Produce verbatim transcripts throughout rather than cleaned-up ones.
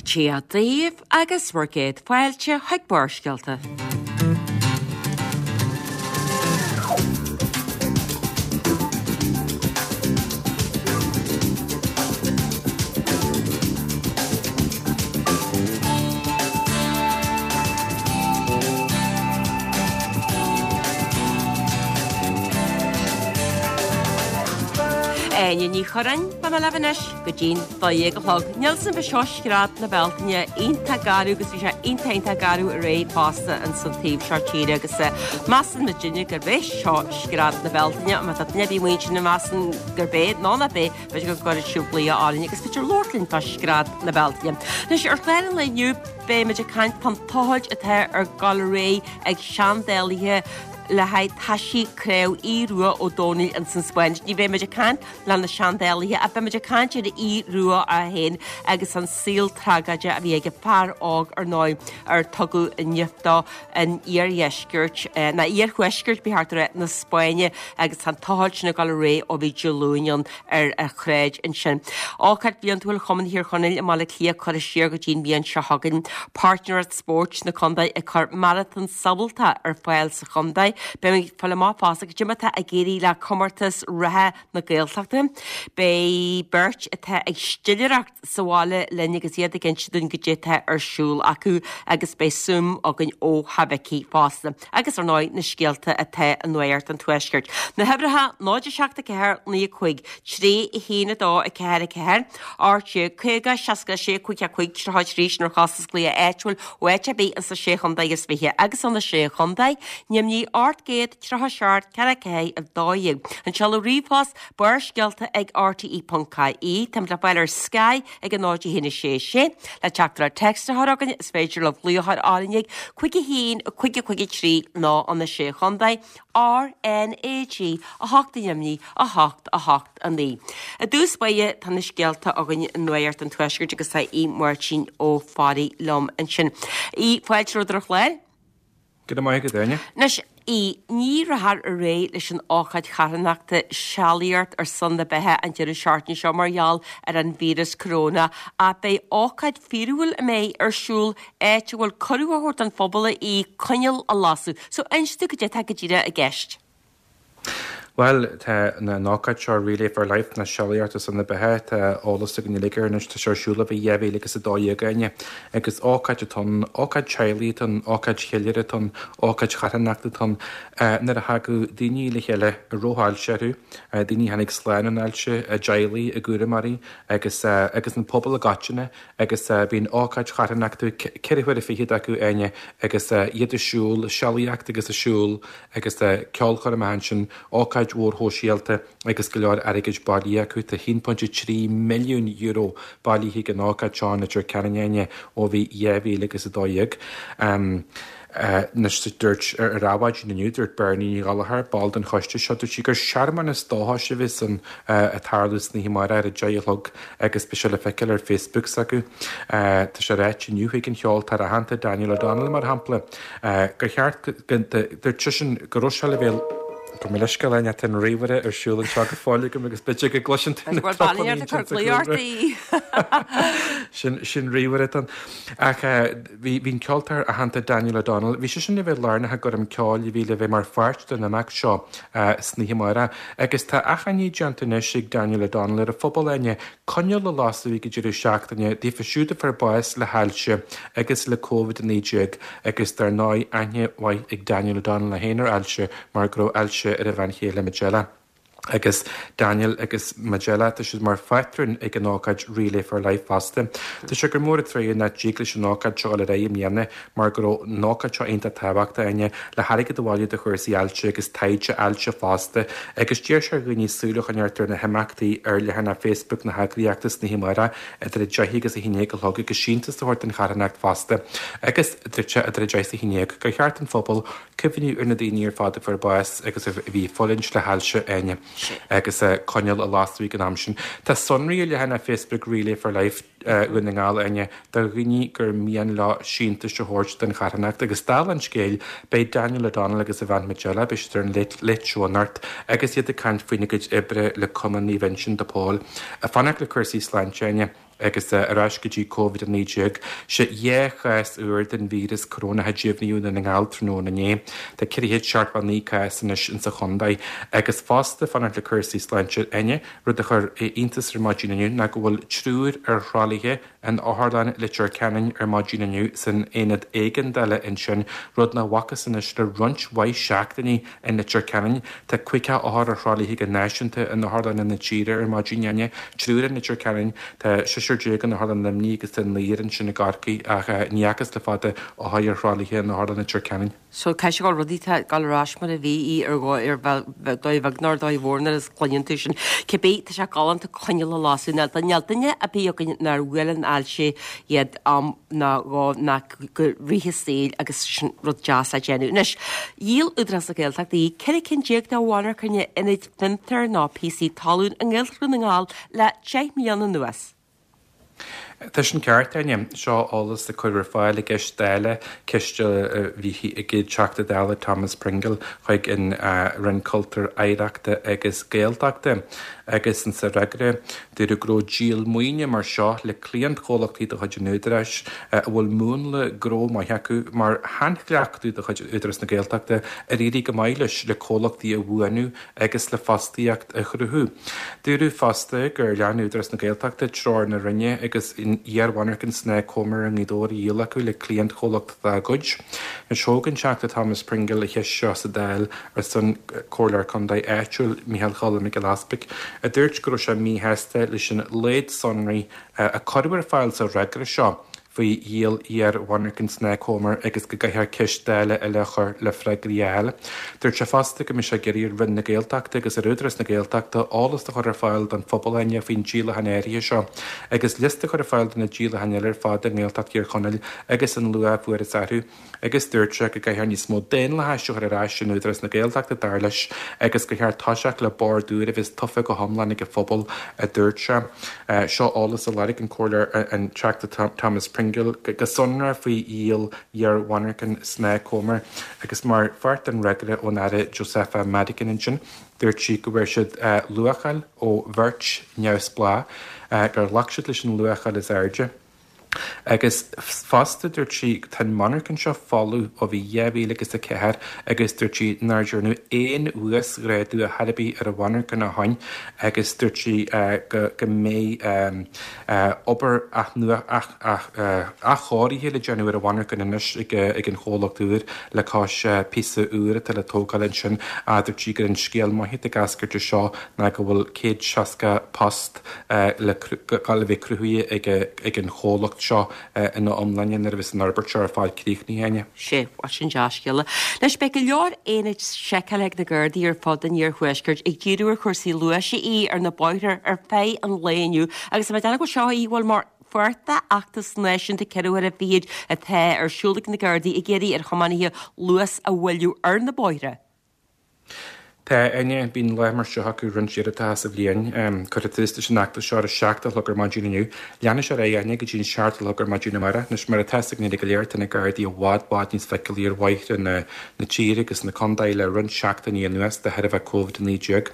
Dia daoibh agus bhur gcéad fáilte chuig Barrscéalta. Áine Ní Churráin, beidh mé libh anois go dtí'n dó dhéag a chlog. Níl 's agam bhí seo scread na Bealtaine iontach garbh agus bhí sé iontach iontach garbh aréir fosta ins an taobh seo tíre agus measann muidinne gurb é seo scread na Bealtaine má tá duine ar bith amuigh ansin a mheasann gurb é nó nach é b'fhéidir go gcuirfidh sibh glaoch orainn agus b'fhéidir labhairt linn fá scread na Bealtaine. Anois ar chlár an lae inniu beidh muid ag caint fán tochailt atá ar gabháil ar aghaidh ag seandálaithe le haghaidh taisí craobh Aodh Rua Ó Domhnaill ins an Spáinn. Ní bheidh muid ag caint le na seandálaithe ach beidh muid ag caint ar Aodh Rua é féin agus an saol tragóideach a bhí ag an fear óg ar ndóigh ar tugadh nimh dó in iardheisceart, ná iarthuaisceart ba cheart a rá, na Spáinne agus tá an tochailt sin ag dul ar aghaidh ó bhí Dé Luain ann ar a shráid ansin. Ócáid bhliantúil Chumann Thír Chonaill i mBaile Átha Cliath curtha siar go dtí'n bhliain seo chugainn. Páirtnéireacht Spóirt na Contae ag cur maratón sabhálta ar fáil sa chontae. Beidh muid ag fáil amach fosta cad é mar atá ag éirí le comórtas reatha na Gaeltachta. Beidh beirt atá ag stiléireacht sa bhaile linn agus iad ag inse dúinn cad é atá ar siúl acu agus beidh Zoom againn ó Theach Mhicí fosta. Agus ar ndóigh na scéalta atá i Nuacht an Tuaiscirt. Na huimhreacha náid a seacht a ceathair naoi a cúig, trí a haon a dó a ceathair a ceathair, ocht déag caoga seasca a sé cúig a cúig tríocha a trí sin ar chostas glaoch áitiúil ó áit ar bith ins na Sé Chontae is Fiche agus ó na Sé Chontae, Neimnigh ocht gcéad tríocha seacht ceathair ceathair a dó dhéag. An seoladh ríomhphost Barrscéalta ag R T E ponc I E. Táimid le fáil ar Sky ag a náid a haon a sé sé. Le teachtaireacht téacs a chur chugainn is féidir libh glaoch a chur orainn ag cúig a haon cúig a cúig a trí nó ó na Sé Chontae R N A G a hocht a neimnigh a hocht a hocht a naoi. I dtús báire tá na scéalta againn i Nuacht an Tuaiscirt agus tá Aodh Máirtín Ó Fearraigh liom ansin. Aodh, fáilte romhat ar an chlár. Go raibh maith agat, Áine. Anois, Aodh, ní rachfar ar aghaidh leis an ócáid charthanachta Sealaíocht ar son na Beatha an deireadh seachtaine seo mar gheall ar an víreas coróna ach beidh ócáid fíorúil a mbeidh ar siúl áit a bhfuil cuireadh á thabhairt don phobal í coinneal a lasadh. So inis dúinn cad é atá go díreach i gceist. Bhuel, tá an ócáid seo Relay for Life nó Sealaíocht ar son na Beatha, tá eolas againn uilig air anois, tá sé ar siúl ó bhí dhá mhíle agus a dó dhéag Áine. Agus ócáid atá ann, ócáid teaghlaigh atá ann, ócáid cheiliúrtha atá ann, ócáid charthanachta atá ann, nuair a thagadh daoine le chéile a raibh ailse orthu, daoine a tháinig slán ón ailse, a dteaghlaigh, a gcúramóirí agus agus an pobal i gcoitinne agus bíonn ócáid charthanachta ceithre huaire fichead acu Áine agus iad ag siúl, sealaíocht agus ag siúl agus ceolchoirm ansin, ócáid mhór shóisialta agus go leor airgid bailithe acu. Tá haon pointe trí milliún euro bailithe ag an ócáid seo in Leitir Ceanainn Áine ó bhí dhá mhíle agus a dó dhéag. Anois dúirt ar Adhmhaidin inniu, dúirt Bernie Ní Ghallchóir, ball den choiste seo, dúirt sí gur searmanas dóchais a bheas ann ag tarlú san oíche amárach ar a deich a chlog agus beidh sé le feiceáil ar Facebook s'acu. Tá sé ráite inniu ag an cheoltóir aitheanta Daniel O'Donnell mar shampla gur cheart go dúirt seisean go raibh sé le bheith Gabh mo leithscéal Áine, tá an ríomhaire ar siúl anseo go fóill agam agus b'fhéidir go gcloiseann tú na topanna ansin sa chúlra. Sin sin ríomhaire atá ann. Ach bhí bhí an ceoltóir aitheanta Daniel O'Donnell, bhí seisean le bheith lárnach i gcoirm ceoil a bhí le bheith mar pháirt den imeacht seo san oíche amárach. Agus tá achainí déanta anois ag Daniel O'Donnell ar an phobal Áine coinneal a lasadh ag an deireadh seachtaine daofa siúd a fuair bás le hailse agus le Covid a naoi déag agus dar ndóigh aithne mhaith ag Daniel O'Donnell é féin ar ailse mar go raibh ailse ar a bhean chéile Majella. Agus Daniel agus Majella, tá siad mar phátrúin ag an ócáid Relay for Life fosta. Tá sé gur mór an trua nach dtig leis an ócáid seo dul ar aghaidh i mbliana mar go raibh an ócáid seo iontach tábhachtach Áine le hairgead a bhailiú do chúrsaí ailse agus taighde ailse fosta agus d'iarr sé ar dhaoine súil a choinneáil ar na himeachtaí ar leathanach Facebook na heagraíochta san oíche amárach idir a deich agus a haon déag a chlog agus síntiús a thabhairt don charthanacht fosta agus dúirt sé idir a deich is a haon déag gur cheart don phobal cuimhniú ar na daoine ar fad a fuair bás agus a bhí ag fulaingt le hailse Áine agus coinneal a lasadh ag an am sin. Tá sonraí ar leathanach Facebook Relay for Life Dhún na nGall Áine do dhaoine gur mian leo síntiús a thabhairt don charthanacht agus dála an scéil beidh Daniel O'Donnell agus a bhean Majella, beidh siad ar an Late Show anocht agus iad ag caint faoina gcuid oibre le Cumann Naomh Uinseann de Pól. Ag fanacht le cúrsaí sláinte Áine. Agus ar ais go dtí Covid a naoi déag, sé dhá chás úr den víreas corónach a deimhníodh i nDún na nGall tráthnóna inné. Tá ceithre chéad seachtó a naoi cás anois insa chontae. Agus fosta, fanacht le cúrsaí sláinte Áine, rud a chuir iontas ar maidin inniu ná go bhfuil triúr ar thralaithe in Otharlann Leitir Ceanainn ar maidin inniu san aonad éigeandála ansin, rud nach bhfacthas anois le roinnt mhaith seachtainí in Leitir Ceanainn. Tá caoga othar ar thralaithe go náisiúnta in otharlanna na tíre ar maidin Áine, triúr in Leitir Ceanainn, tá seisear déag in Otharlann Luimnigh agus tá naonúr ansin i gCorcaigh ach ní fhacthas le fada othair ar thralaithe in Otharlann Leitir Ceanainn. So caithfidh sé go bhfuil rudaí tá ag dul ar ais mar a bhí í ar dhóigh ar dóigh bheag nó ar dhóigh mhór nuair a chluineann tú sin. Cibé, tá sé galánta coinneal a lasadh. Níl níl duine ar bith againn nár bhuail an ailse iad am ná dhó ná go rith a saoil agus sin rud deas le déanamh. Anois, dhíol Údarás na Gaeltachta ceithre cinn déag de mhonarchana ionaid fiontair nó píosaí talún i nGaeltacht Dhún na nGall le deich mbliana anuas. Tá sin ceart, Áine. Seo eolas a cuireadh ar fáil i gceist Dála, ceist a bhí ag an Teachta Dála Thomas Pringle chuig an Roinn Cultúir, Oidhreachta agus Gaeltachta. Agus insa fhreagra, dúradh go raibh díol maoine mar seo le cliantchomhlachtaí de chuid an Údaráis a bhfuil múnla gnó maith acu mar shainchleachtadh de chuid Údarás na Gaeltachta ar éirigh go maith leis le comhlachtaí a bhuanú agus le fostaíocht a chruthú. Dúradh fosta gur lean Údarás na Gaeltachta treoir na Roinne agus an iar-mhonarcha Snáth Comer i nGaoth Dobhair a dhíol acu le cliantchomhlacht dá gcuid. Anois thóg an Teachta Thomas Pringle an cheist seo sa Dáil ar son Comhairleoir Contae áitiúil Micheál Choilm Mac Giolla Easpaig, a dúirt go raibh sé míshásta leis an laghad sonraí a cuireadh ar fáil sa fhreagra seo faoi dhíol iar-mhonarchan Snáth Comer agus go gcaithfear ceist Dála eile a chur le freagraí a fháil. Dúirt sé fosta go mbeidh sé ag iarraidh ar Roinn na Gaeltachta agus ar Údarás na Gaeltachta eolas a chur ar fáil don phobal Áine faoin díolachán áirithe seo agus liosta a chur ar fáil de na díolacháin eile ar fad i nGaeltacht Thír Chonaill agus an luach a fuarthas orthu agus dúirt sé go gcaithfear níos mó daonlathais a chur ar ais in Údarás na Gaeltachta dar leis agus gur cheart toiseacht le bord úr a bheas tofa go hiomlán ag an phobal, a dúirt sé. Seo eolas a lorg an Comhairleoir an Teachta Thomas Pringle go sonrach faoi dhíol iar-mhonarchan Snáth Comer agus mar pháirt den fhreagra ón Aire Josepha Madigan ansin, dúirt sí go bhfuair siad luacháil ó bheirt neamhspleách, gur ghlac siad leis an luacháil is airde. Agus fosta dúirt sí tá an mhonarcha seo folamh ó bhí dhá mhíle agus a ceathair agus dúirt sí nár dearnadh aon uasghrádú ar chor ar bith ar an mhonarcha ó shin agus dúirt sí go go mbeidh obair athchóirithe le déanamh ar an mhonarcha anois ag ag an chomhlacht úr le cois píosa úr atá le tógáil ansin. Dúirt sí gur an scéal maith atá ag eascairt as seo ná go bhfuil céad seasca post le le bheith cruthaithe ag ag an chomhlacht seo ina iomláine nuair a bheas an fhorbairt seo ar fad críochnaithe Áine. Sé, sin dea-scéala. Anois beidh go leor aonaid seiceála ag na Gardaí ar fud an iarthuaiscirt ag díriú ar chúrsaí luais í ar na bóithre ar feadh an lae inniu agus tá mé ag déanamh go seo í bhfuil mar pháirt d'fheachtas náisiúnta ceithre huaire fichead atá ar siúl ag na Gardaí ag iarraidh ar thiománaithe luas a mhoilliú ar na bóithre. Tá, Áine, bíonn lá mar seo acu roinnt uaireanta sa bhliain. Cuireadh tús leis an fheachtas seo ar a seacht a chlog ar maidin inniu. Leanfaidh sé ar aghaidh, Áine, go dtí an seacht a chlog ar maidin amárach. Anois, mar atá a fhios againn go léir, tá na Gardaí i bhfad, bhfad níos feiceálaí ar bhóithre na na tíre agus na contae le roinnt seachtainí anuas de thairbhe Covid a naoi déag.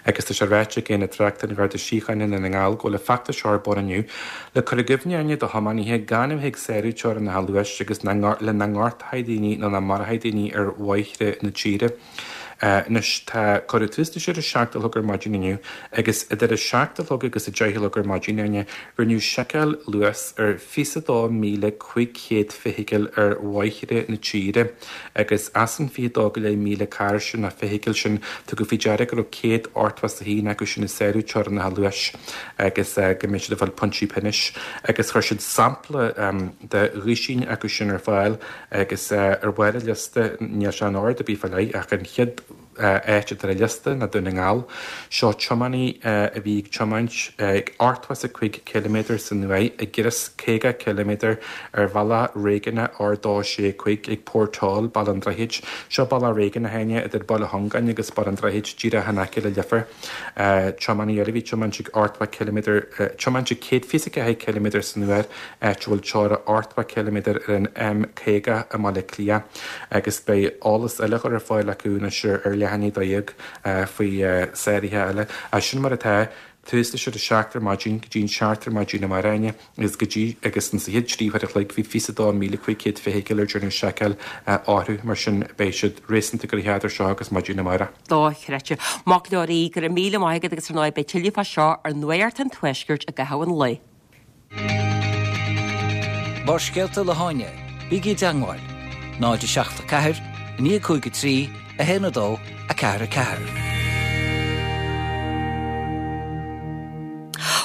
Agus tá sé ráite ag Aonad Tráchta an Gharda Síochána i nDún na nGall go bhfuil an feachtas seo ar bun inniu le cur i gcuimhne, Áine, do thiománaithe gan a bheith ag sárú teorainneacha luais agus le nach ngortófaí daoine nó nach marófaí daoine ar bhóithre na tíre. Anois tá cuireadh tús leis ar a seacht a chlog ar maidin inniu agus idir a seacht a chlog agus a deich a chlog ar maidin Áine, rinneadh seiceáil luais ar fiche a dó míle cúig chéad feithicil ar bhóithre na tíre agus as an fiche dó go leith míle carr sin nó feithicil sin tugadh faoi deara go raibh céad ochtó is a haon acu sin ag sárú teorainneacha luais agus go mbeidh siad ag fáil pointí pionóis agus chuir siad sampla de dhuaisín acu sin ar fáil agus ar bharr an liosta níl sé in ord ar bith fá leith ach an chéad áit atá ar an liosta ná Dún na nGall. Seo tiománaí a bhí ag tiomáint ag ochtó is a cúig ciliméadar san uair i gcrios caoga ciliméadar ar bhealach réigiúnach R dó sé cúig ag Port Toll, Baile an Droichid. Seo bealach réigiúnach Áine idir Baile Chongáin agus Baile an Droichid díreach in aice le Leifear. Tiománaí eile a bhí ag tiomáint ag ochtó ciliméadar tiomáint ag céad fiche a ceathair ciliméadar san uair áit a bhfuil teora ochtó ciliméadar ar an M caoga i mBaile Átha Cliath agus beidh eolas eile á chur ar fáil acu anois ar leath i ndiaidh a dó dhéag faoi sáruithe eile. Sin mar atá, Tús leis ar a seacht ar maidin go dtí an seacht ar maidin amárach Áine agus go dtí agus an sa chéad trí uair a chloig bhí fiche dó míle cúig chéad feithicil ar déanamh seiceáil orthu mar sin beidh siad réasúnta gnoitheach idir seo agus maidin amárach. Dochreidte. Mac Leoraí, go raibh míle maith agat agus ar ndóigh beidh tuilleadh fá seo ar Nuacht an Tuaiscirt i gcaitheamh an lae. Barrscéalta le hÁine, bígí i dteagmháil, náid a seacht a ceathair, naoi cúig a trí, a haon a dó, a ceathair a ceathair.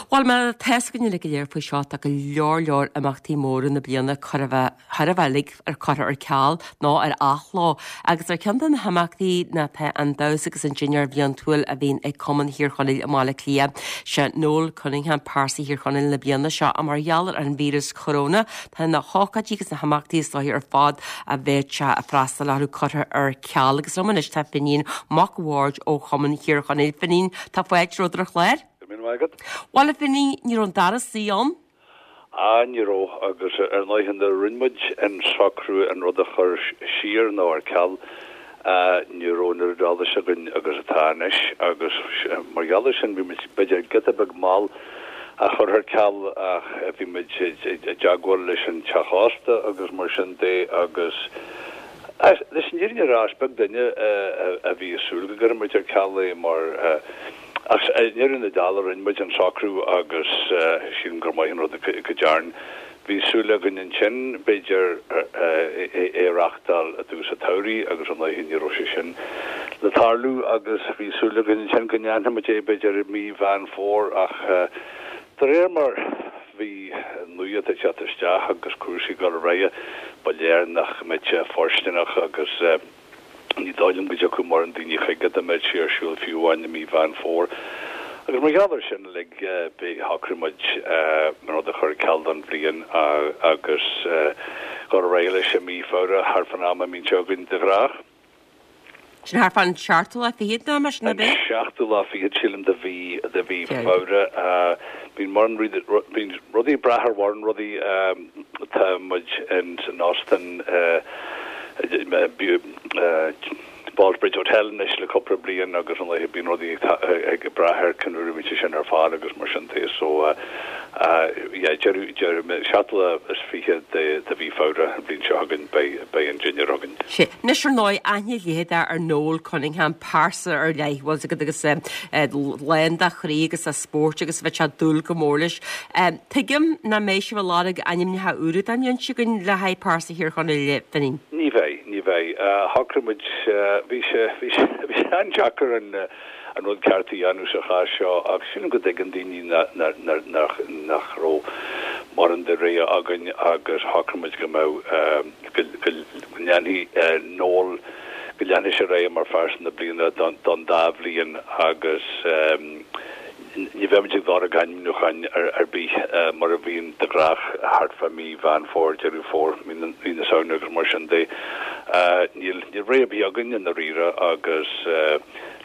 Bhuel mar atá a fhios againn uilig go léir faoi seo tá go leor leor imeachtaí móra na bliana chóir a bheith thar a bheith uilig ar curtha ar ceal nó ar athló agus ar ceann de na himeachtaí ná tá an damhsa agus an dinnéar bliantúil a bhíonn ag Cumann Thír Chonaill i mBaile Átha Cliath. Sé Noel Cunningham pearsa Thír Chonaill na bliana seo a mar gheall ar an víreas corona tá na hócáidí agus na himeachtaí is dóichí ar fad a bheadh sé ag freastal orthu curtha ar ceal agus liom anois tá Finín Mac Bhaird ó Chumann Thír Chonaill. Finín tá fáilte romhat ar an chlár? Bhuel a Fhinín, ní raibh an dara suí ann? Á, ní raibh, agus ar ndóigh nuair a rinne muid an socrú an rud a chur siar nó ar ceal, ní raibh an oiread eolais againn agus atá anois agus mar gheall air sin bhí muid b'fhéidir giota beag mall a chur ar ceal ach bhí muid i dteagmháil leis an teach ósta agus mar sin de agus leis an fhírinne a rá is beag duine a bhí ag súil go gcuirfeadh muid ar ceal é mar Ach i ndeireadh na dála rinne muid an socrú agus sílim gur maith an rud go dtearn. Bhí súil againn ansin, b'fhéidir, é a reáchtáil i dtús an tsamhraidh agus ar ndóigh ní raibh sé sin le tarlú agus bhí súil againn ansin go ndéanfadh muid é b'fhéidir i mí Mheán Fómhair ach de réir mar bhí nuacht ag teacht isteach agus cúrsaí ag dul ar aghaidh ba léir nach mbeadh sé fóirsteanach agus Ní dóigh liom go dtiocfadh mórán daoine chuige dá mbeadh sé ar siúl fiú amháin i mí Mheán Fómhair. Agus mar gheall air sin uilig, shocraigh muid an rud a chur ar ceal don bhliain agus dhul ar aghaidh leis i mí Feabhra, thart fán am a mbíonn sé againn de ghnách. Sin thart fán seachtú lá fichead nó mar sin, ab é? An seachtú lá fichead, sílim, de mhí, de mhí Feabhra. Bíonn mórán, bíonn rudaí ag brath ar mhórán rudaí. Tá muid in san óstán Ballsbridge Hotel anois le cúpla bliain agus ar ndóigh bíonn rudaí ag brath ar cén uair a bhíonn sé sin ar fáil agus mar sin de. So yeah deireadh deireadh seachtú lá is fiche de de mhí Feabhra an bhliain seo chugainn beidh beidh an dinnéar againn. Sea. Anois ar ndóigh aithne leitheadach ar Noel Cunningham, pearsa ar leith, bhfuil 's agat agus lán de chroí agus de spórt agus bheadh sé dúil go mór leis. Tuigim nach mbeidh sibh ag lorg ainmneacha úra don bhliain seo chugainn le haghaidh pearsa Thír Chonaill, a Fhinín. Ní bheidh, ní bheidh. Shocraigh muid, bhí sé, bhí sé, bhí sé an-deacair an, an rud ceart a dhéanamh sa chás seo ach sílim go dtuigeann daoine nach, nach raibh mórán de rogha againn agus shocraigh muid go mbeadh, go, go ndéanfaidh Noel, go leanfaidh sé ar aghaidh mar phearsa na bliana don, don dá bhliain agus, Ní bheimid ag lorg ainmniúcháin ar bith mar a bhíonn de ghnách thart fá mí Mheán Fómhair, Deireadh Fómhair, mí na Samhna agus mar sin de. Níl rogha ar bith againn i ndáiríre agus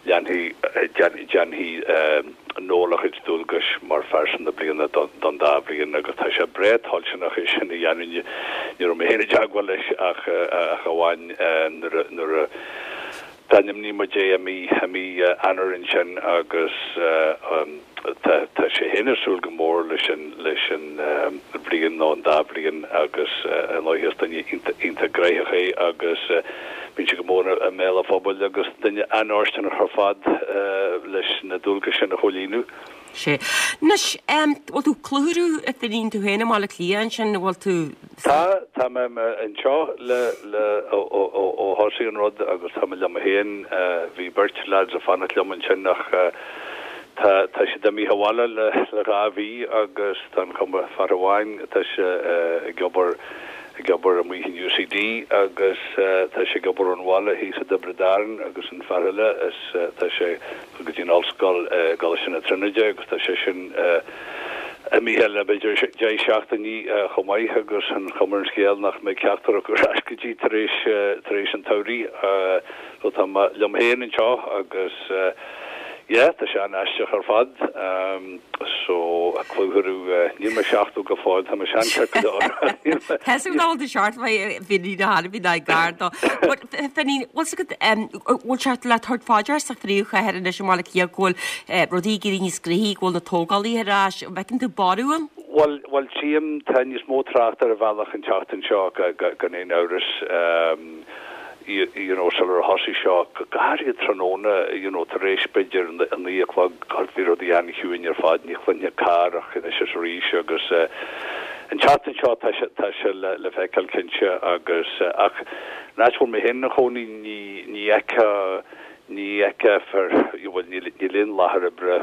leanfaidh, déanfaidh Noel a chuid dualgais mar phearsa na bliana don dá bhliain agus tá sé breá toilteanach é sin a dhéanamh. Ní raibh mé féin i dteagmháil leis ach amháin nuair a D'ainmnigh muid é i mí i mí Eanáir ansin agus tá tá sé féin ag súil go mór leis an leis an bhliain nó an dá bhliain agus ar ndóigh is duine iontach iontach gnoitheach é agus bíonn sé go mór i mbéal an phobail agus duine an-fhóirsteanach ar fad leis na dualgais sin a chomhlíonadh. Sea. Anois, em, bhfuil tú clutharú a Fhinín tú féin i mBaile Átha Cliath ansin, bhfuil tú. Tá, tá mé anseo le, le, ó, ó, ó, ó thosaigh an rud agus tá mé liom féin, bhí beirt lads ag fanacht liom ansin ach tá, tá siad imithe abhaile le, le dhá mhí agus tá an chuma, fear amháin, tá sé ag obair, ag obair amuigh in UCD agus tá sé ag obair ón bhaile thíos i dTiobraid Árann agus an fear eile is, tá sé, go dtí an ollscoil i gColáiste na Tríonóide agus tá sé sin imithe le b'fhéidir deich seachtainí chomh maith agus an chuma ar an scéal nach mbeidh ceachtar acu ar ais go dtí tar éis tar éis an tsamhraidh. So tá mé liom féin anseo agus Yeah, tá sé an-aisteach ar fad. So, a cluthú, níl mé seachtó go fóill, tá mé sean-cheart go leor. Tá tú ná de seart bhí na bhí na gar dó. But Finín, bhfuil agat bhfuil sé le tabhairt faoi deara sa phríomhchathair anois i mBaile Átha Cliath go bhfuil rudaí ag éirí níos gnoithí, go bhfuil na tógálaithe ar ais, an bhfeiceann tú borradh ann? Bhuel, bhuel tchím, tá níos mó trácht ar an bhealach an tseachtain seo gan aon amhras. you, you know, sular thosaigh seo, go háirithe tráthnóna, you know, tar éis b'fhéidir a naoi a chlog, bhí rudaí an-chiúin ar fad, ní chluinfeá carr ach anois is arís agus uh, an tseachtain seo tá sé, tá sé le, le feiceáil cinnte agus uh, ach an áit bhfuil mé féin i mo chónaí ní, ní fheicfeá ní fheicfear bhuel níl níl aon láthair oibre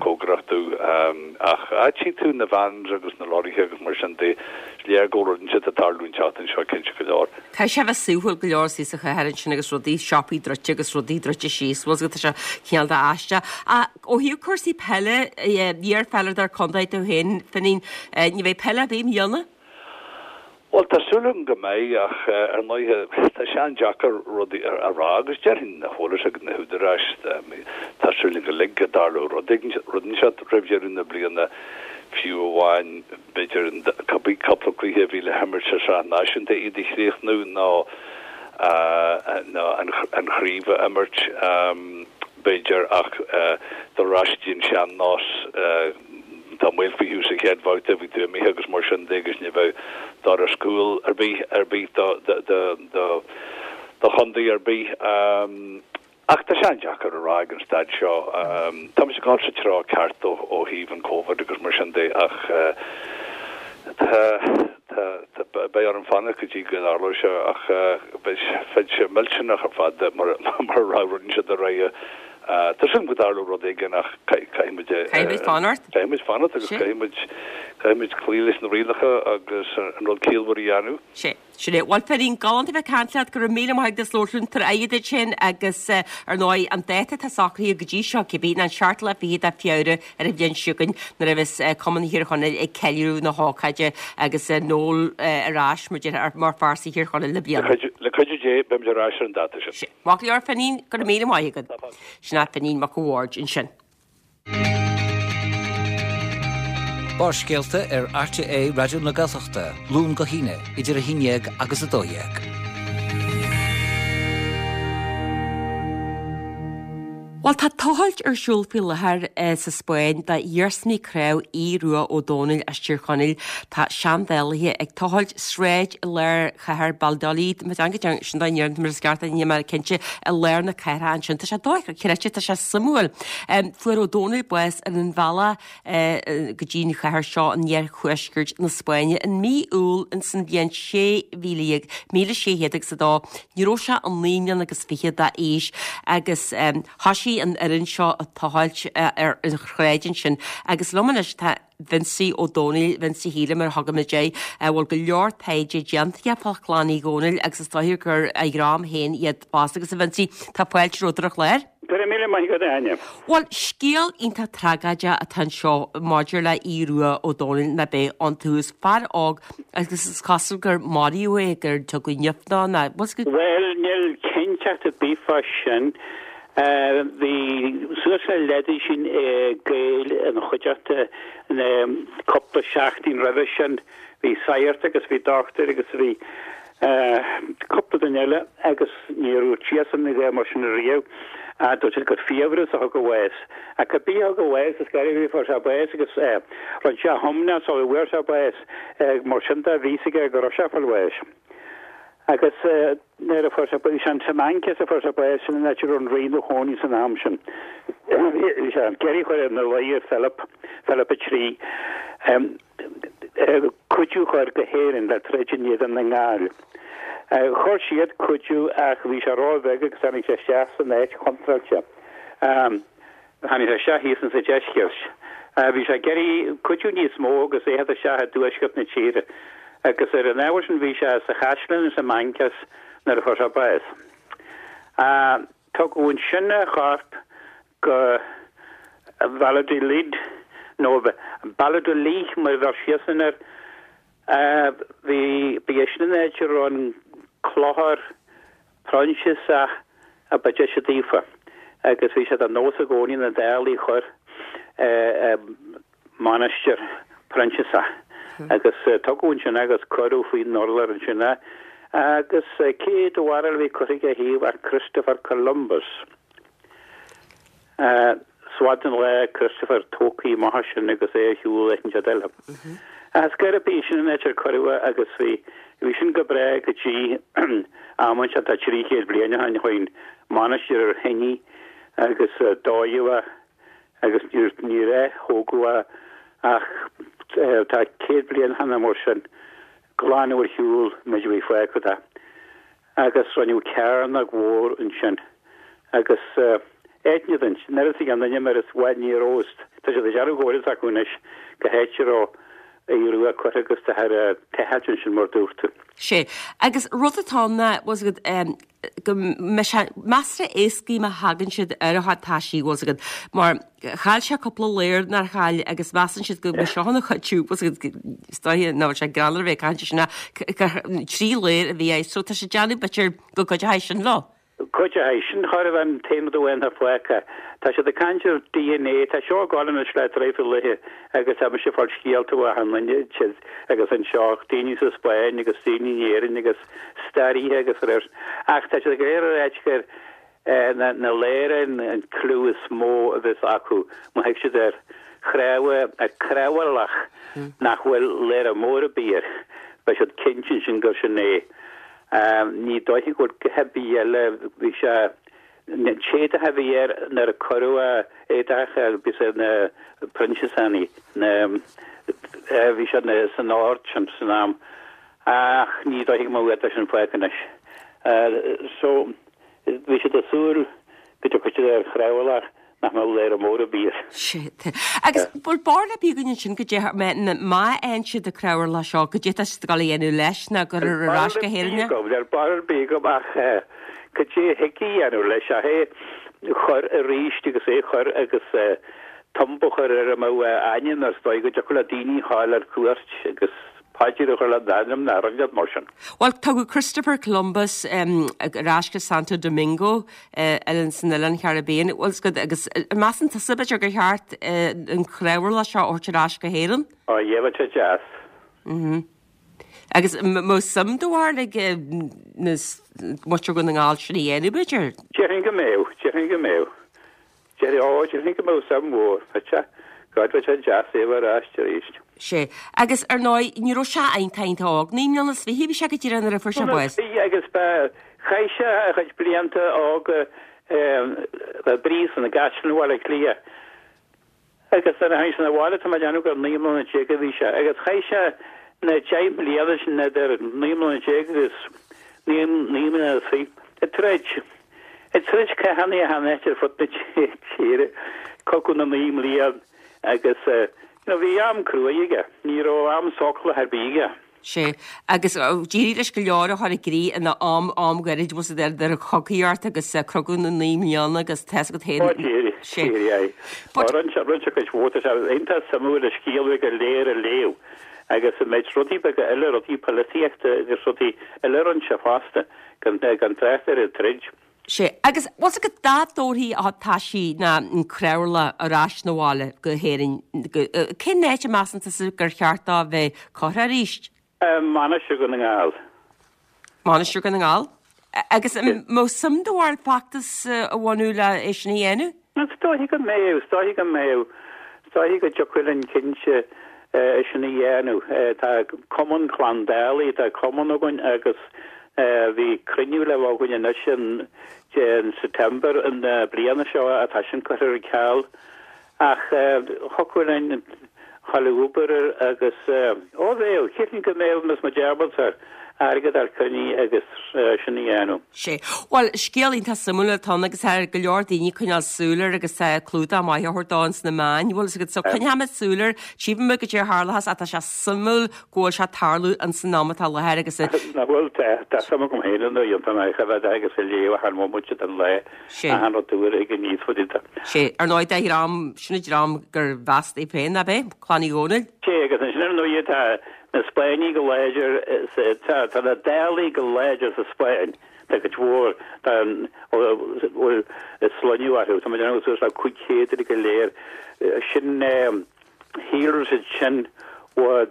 cóngarach dom ach tchí tú na vans agus na lorraithe agus mar sin de is léir go bhfuil rud inteacht ag tarlú an tseachtain seo cinnte go leor. Tá sé bheith suathúil go leor sa chathair ansin agus rudaí siopaí druidte agus rudaí druidte síos, bhfuil tá sé cineál de aisteach. Ó thaobh cúrsaí peile iar-pheileadóir contae tú féin Finín ní bheidh peile ar bith i mbliana? Bhuel tá súil agam go mbeidh ach ar ndóighe tá sé an-deacair rudaí a rá agus déarfainn na heolas ag na húdaráis tá súil go uilig go dtarlódh rud rud inteacht roimh dheireadh na bliana fiú amháin b'fhéidir cibé cúpla cluiche a bhí le himirt sa tsraith náisiúnta iad a chríochnú nó nó an chraobh a imirt b'fhéidir ach dul ar ais go dtí an sean-nós tá maol faoi thú sa chéad bhabhta bhí tú imithe agus mar sin de agus ní bheadh doras cúil ar bith ar bith do do do do do chontae ar bith. Um, ach tá sé an-deacair a rá ag an staid seo. Um, tá muid ag dul sa treo ceart ó ó thaobh an COVID agus mar sin de ach uh, tá tá tá beidh orm fanacht go dtí go dtarlóidh sé ach uh, beidh beidh sé millteanach ar fad mar mar raibh rud sé de réidh Tá sin go dtarlódh rud éigin ach caithfimid Caithfimid fanacht? Caithfimid fanacht agus caithfimid caithfimid cloí leis na rialacha agus an rud ciallmhar a dhéanamh. Sé. Sin é. Bhuel Finín galánta bheith ag caint leat go raibh míle maith agat as labhairt linn tabhair aghaidh duit sin agus ar ndóigh an dáta atá socraithe go dtí seo cibé ná an seachtú lá fichead de Feabhra ar an bhliain seo chugainn nuair a bheas Cumann Thír Chonaill ag ceiliúradh na hócáide agus Noel ar ais mar mar phearsa Thír Chonaill le bliana. Le cuidiú Dé beimid ar ais ar an dáta sin. Sé. Maith go leor Finín go raibh míle maith agat. Sin é Finín Mac a' Bhaird ansin. Barrscéalta ar RTÉ Raidió na Gaeltachta, Luan go hAoine, idir a haon déag agus a dó dhéag. Bhuel tá tochailt ar siúl faoi láthair sa Spáinn d'iarsmaí cnámh Aodh Rua Ó Domhnaill as Tír Chonaill. Tá seandálaithe ag tochailt sráid i lár chathair Valladolid, má teanga sin dá ndéarfainn mar is ceart níl mé cinnte i lár na cathrach ansin. Tá sé dochreidte, tá sé suimiúil. Fuair Ó Domhnaill bás ar an bhealach go dtí an chathair seo in iarthuaisceart na Spáinne in mí Iúil ins an bhliain sé mhíle dhéag, míle sé chéad agus a dó. Ní raibh sé ach naoi mbliana agus fiche d'aois agus thosaigh an fhoireann seo ag tochailt ar an shráid ansin agus liom anois tá Vincie Ó Domhnaill, Vincie Shíle mar a thugaimid air, a bhfuil go leor taighde déanta aige fá chlann Uí Dhónaill agus is dóigh gur a dhream féin iad fosta agus a Vincie, tá fáilte romhat ar an chlár. Go raibh míle maith agat, a Áine. Bhuel, scéal iontach tragóideach atá anseo maidir le Aodh Rua Ó Domhnaill ná beidh iontu. Is fear óg agus is cosúil gur maraíodh é, gur tugadh nimh dó nó Bhuel, níl cinnteacht ar bith fá sin. Bhí suas le leathdhosaen Gael ina chuideachta cúpla seachtain roimhe sin. Bhí sagart agus bhí dochtúir agus bhí cúpla duine eile agus ní raibh siadsan a dhath mar sin riamh. Dúirt siad gur fiabhras a thug a bhás. Ach cibé a thug a bhás, is gairid a fuair sé bás agus rinne sé thiomna sula bhfuair sé bás. Mar sin de bhí fhios aige go raibh sé ag fáil bháis. Agus nuair a fuair sé, bhí sé in Simancas a fuair sé bás, sin an áit a raibh an rí ina chónaí san am sin. Bhí sé ag iarraidh chur ina luí ar Philip, Philip a trí, cuidiú a chur go hÉirinn le troid in éadan na nGall. Chuir siad cuidiú ach bhí sé róbheag agus tháinig sé isteach san áit chontráilte. Tháinig sé isteach thíos insa deisceart. Bhí sé ag iarraidh cuidiú níos mó agus é theacht isteach i dtuaisceart na tíre. Agus ar an ábhar sin bhí sé sa chaisleán in Simancas nuair a fuair sé bás. Tugadh ansin a chorp go Valladolid, nó Balladolí mar a bheir siadsan air. Bhí, ba é sin an áit a raibh an clochar Proinsiasach a ba deise daofa. agus bhí sé de nós i gcónaí na Dálaigh a chur i Mainistir Proinsiasach agus tugadh ansin é agus cuireadh faoin urlár ansin é agus cé do bharúil a bhí curtha ag a thaobh ach Christopher Columbus. Is fada an lá Christopher tógtha amach as sin agus é ar shiúl áit inteacht eile. Ach ar scor ar bith sin an áit ar cuireadh é agus bhí bhí sin go breá go dtí am inteacht tá trí chéad bliain ó shin chuaigh an mainistir ar thine agus dódh é agus níor níor ath-thógadh é ach tá céad bliain cheana mar sin glanadh ar shiúl an méid a bhí fágtha de agus rinneadh cearnóg mhór ansin agus aithne duit, nuair a thuig an duine mar is bhfuil ní raibh, tá siad ag déanamh go bhfuil fhios acu anois go háit a raibh Aodh Rua curtha agus tá ar tochailt ansin mar dúirt tú. Sé. Agus rud atá ann ná, bhfuil fhios agat, go mbeidh sé measartha éascaí má thagann siad ar a chuid taisí, bhfuil fhios agat, mar chaill sé cúpla ladhar nár chaill agus measann siad go mbeidh seo ina chuidiú, bhfuil fhios agat, is dóiche nach bhfuil sé greannmhar a bheith ag caint air sin ach trí ladhar a bhí air so tá sé ag déanamh b'fhéidir go gcuideoidh sin leo. Cuideoidh sin chóir a bheith an t-aon rud amháin atá fágtha. Tá siad ag caint ar DNA, tá seo ag gabháil anois le traidhfil laetha agus tá mise ag fáil scéalta ó achan duine agus anseo, daoine sa Spáinn agus daoine in Éirinn agus staraithe agus ar ach tá siad go léir ag ráit gur na na ladhra an clue is mó a bheas acu má thig siad ar chnámha, ar chnámharlach nach bhfuil ladhra mór ar bith air, beidh siad cinnte ansin gur sin é. Ní dóiche go bhfuil a dhath ar bith eile, bhí sé, an t-éadach a bhí air nuair a cuireadh a éadach bhí sé na Proinsiasaigh, na, bhí sé san ord sin san am ach ní dóiche go mbeadh an éadach sin fágtha anois. So, bhí siad ag súil go dtiocfadh siad ar chnámharlach nach mbeadh ladhra mór ar bith air. Sea. Agus bhfuil barúil ar bith againn ansin goidé má fhaigheann siad an cnámharlach seo, goidé atá siad ag dul a dhéanamh leis nó gur ar ais go hÉirinn é? Níl barúil ar bith agam ach goidé a thig a dhéanamh leis ach é chur arís agus é chur agus tumba a chur air a mbeadh a ainm air is dóigh go dtiocfadh le daoine a ghabháil ar cuairt agus paidir a chur lena ainm nó rud inteacht mar sin. Bhuel, tugadh Christopher Columbus ar ais go Santo Domingo san oileán Caribbean, bhfuil 's agat, agus an measann tusa b'fhéidir gur cheart an cnámharlach seo a thabhairt ar ais go hÉirinn? Á, bheadh sé deas. Mhm. Agus mbeadh suim do bharúil ag na muintir Dhún na nGall sin a dhéanamh b'fhéidir? Déarfainn go mbeadh, déarfainn go mbeadh. Déarfainn, ó, déarfainn go mbeadh suim mhór. Bheadh sé, God, bheadh sé deas é a bheith ar ais arís. Sea. Agus, ar ndóigh, ní raibh sé iontach iontach óg. Naoi mbliana is fiche a bhí sé go díreach nuair a fuair sé bás. Bhí, agus ba, chaith sé a chuid blianta óga i bpríosún i gCaisleán Bhaile Átha Cliath. Agus nuair a tháinig sé 'na bhaile, tá mé ag déanamh gur naoi mbliana déag a bhí sé. Agus chaith sé na deich mbliana sin idir naoi mbliana déag agus naoi mbliana is fiche ag troid. Ag troid cathanna achan áit ar fud na tíre, Cogadh na Naoi mBliain agus you know bhí am cruaidh aige, ní raibh am sócúlach ar bith aige. Sea, agus d'éirigh leis go leor a chur i gcrích ina am, am gairid, bhfuil 's agat, idir an chogaíocht agus Cogadh na Naoi mBliana agus tá 's agat féin. Ó d'éirigh, d'éirigh, aye. Ó rinne sé, rinne sé cuid mhór, tá sé iontach suimiúil a scéal go léir a léamh agus an méid rudaí beaga eile, rudaí polaitíochta agus rudaí eile a rinne sé fosta, gan, gan trácht ar an troid. Sea, agus bhfuil 's agat dá dtabharfaí a taisí ná an cnámharlach ar ais 'na bhaile go hÉirinn, cén áit a measann tusa gur cheart dó bheith curtha arís? Mainistir Dhún na nGall. Mainistir Dhún na nGall? Agus an mbeadh suim do bharúil feachtas a bhunú le é sin a dhéanamh? Is dóiche go mbeadh, is dóiche go mbeadh. Is dóiche go dtiocfadh linn cinnte é sin a dhéanamh. Tá Cumann Clann Dálaigh, tá cumann againn agus bhí cruinniú le bheith againn anois in September na bliana seo atá sin curtha ar ceal. Ach thiocfadh linn dhul ag obair air agus, ó bheadh, shílfinn go mbeadh más muid ábalta airgead a chruinniú agus sin a dhéanamh. Sea. Bhuel, scéal iontach suimiúil atá ann agus tá go leor daoine ag coinneáil súil air agus tá clúdach maith á thabhairt dó ins na meáin, bhfuil 's agat. So coinneoimid súil air, tchífimid goidé a tharlóchas ach tá sé suimiúil go bhfuil sé ag tarlú ins an am atá i láthair agus. Nach bhfuil, tá, tá suim agam féin ann, iontach maith a bheith agus a léamh achan bhomaite den lá, achan rud úr a thig aníos faoi do. Sea, ar ndóigh, de dhream, sin an dream gur mheas é féin, ab é? Clann Uí Dhónaill? Sea, agus ansin ar ndóigh tá na Spáinnigh go láidir, tá na Dálaigh go láidir sa Spáinn, tá cuid mhór tá bhfuil sloinneadh orthu, tá mé ag déanamh suas le cúig chéad uilig go léir, sin shíolraigh siad sin ó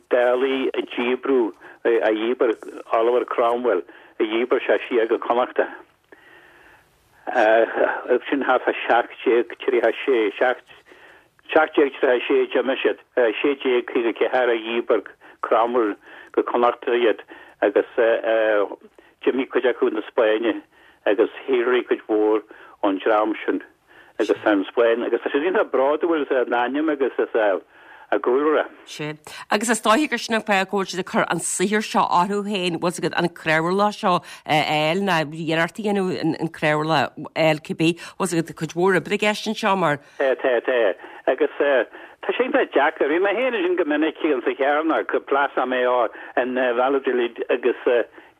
Dálaigh a díbreadh, a dhíbir Oliver Cromwell, a dhíbir sé siar go Connachta. Sin thart fá seacht déag tríocha sé, seacht seacht déag tríocha sé d'imigh siad, sé déag caoga ceathair a dhíbir Cromwell go Connachta iad agus d'imigh cuid acu na Spáinne agus shíolraigh cuid mhór ón dream sin agus tá an Spáinn agus tá siad iontach bródúil as a n-ainm agus as a a gcúlra. Sea. Agus is dóiche gur sin an fáth go bhfuil siad ag cur an saothar seo orthu féin, bhfuil 's agat, an craobharlach seo a fháil, nó iarracht a dhéanamh an craobharlach a fháil cibé, bhfuil 's agat, cuid mhór oibre i gceist anseo mar. Tá, tá, tá. Agus tá sé iontach deacair. Bhí mé féin ansin go minic insa Chearnóg, Plaza Mayor in Valladolid agus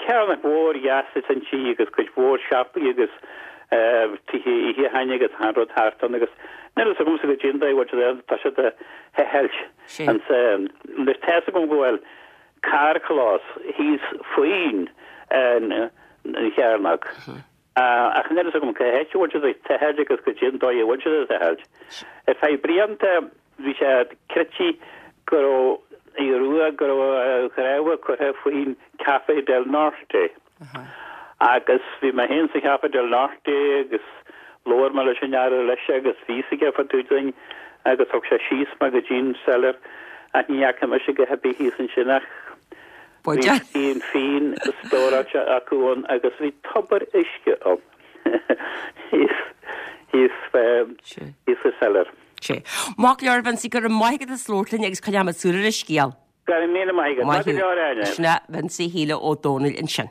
cearnóg mhór dheas atá inti agus cuid mhór siopaí agus tithe ithe cheana agus achan rud thart ann agus níl fhios agamsa goidé an dóigh a bhfuil siad tá siad a thochailt ansan. Anois tá fhios agam go bhfuil carrchlós thíos faoin an chearnóg ach níl fhios agam cá háit a bhfuil siad ag tochailt agus goidé an dóigh a bhfuil siad ag tochailt. Ar feadh blianta bhí sé creidte go raibh Aodh Rua go raibh a chnámha curtha faoin Café del Norte. Agus bhí mé féin sa Chafé del Norte agus labhair mé leis an fhear leis agus bhí fhios aige fá dtaobh dúinn agus thug sé síos mé go dtí an cellar ach ní fhaca mise a dhath ar bith thíos ansin ach bhí fíon fíon stóráilte acu ann agus bhí tobar uisce ann thíos thíos thíos sa cellar. Sea. Maith go leor, a Vincie, go raibh maith agat as labhairt linn agus coinneoidh muid súil ar an scéal. Go raibh míle maith agat. Maith go leor, Áine. Sin é Vincie Shíle Ó Dónaill ansin.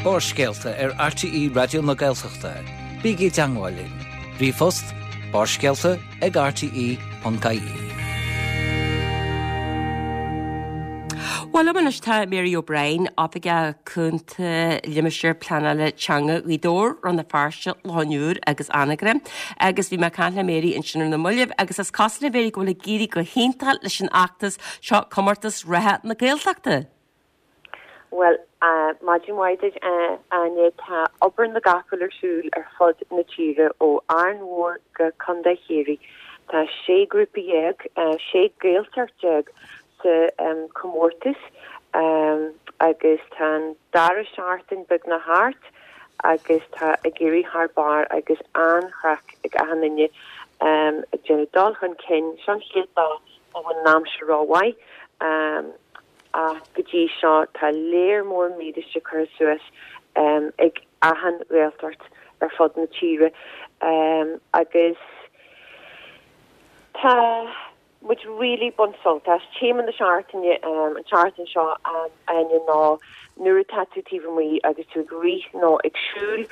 Barrscéalta ar RTÉ Raidió na Gaeltachta. Bígí i dteangmháil linn. Ríomhphost, barrscéalta ag rte ponc ie. Bhuel, liom anois tá Mary O'Brien, Oifigeach Cúnta Limistéar Pleanála Teanga Ghaoth Dobhair, Rann na Feirste, Loch an Iúir agus Anagaire. Agus bhí mé ag caint le Mary ansin ar na mallaibh agus is cosúil a Mhary go bhfuil ag éirí go hiontach leis an fheachtas seo Comórtas Reatha na Gaeltachta. Bhuel, maidin mhaith duit, a Áine. Tá obair na gcapall ar siúl ar fud na tíre, ó Árainn Mhór go Contae Chiarraí. Tá sé grúpa dhéag, sé Gaeltacht déag sa chomórtas agus tá an dara seachtain beagnach thart agus tá ag éirí thar barr agus an-chraic ag achan duine ag déanamh dul chun cinn. Seo an chéad lá nach bhfuil an aimsir rómhaith ach go dtí seo tá léar mór mílíste curtha suas ag achan Ghaeltacht ar fud na tíre agus tá muid really ag baint sult as. Téama na seachtaine an tseachtain seo a Áine ná nuair atá tú taobh amuigh agus tú ag rith nó ag siúl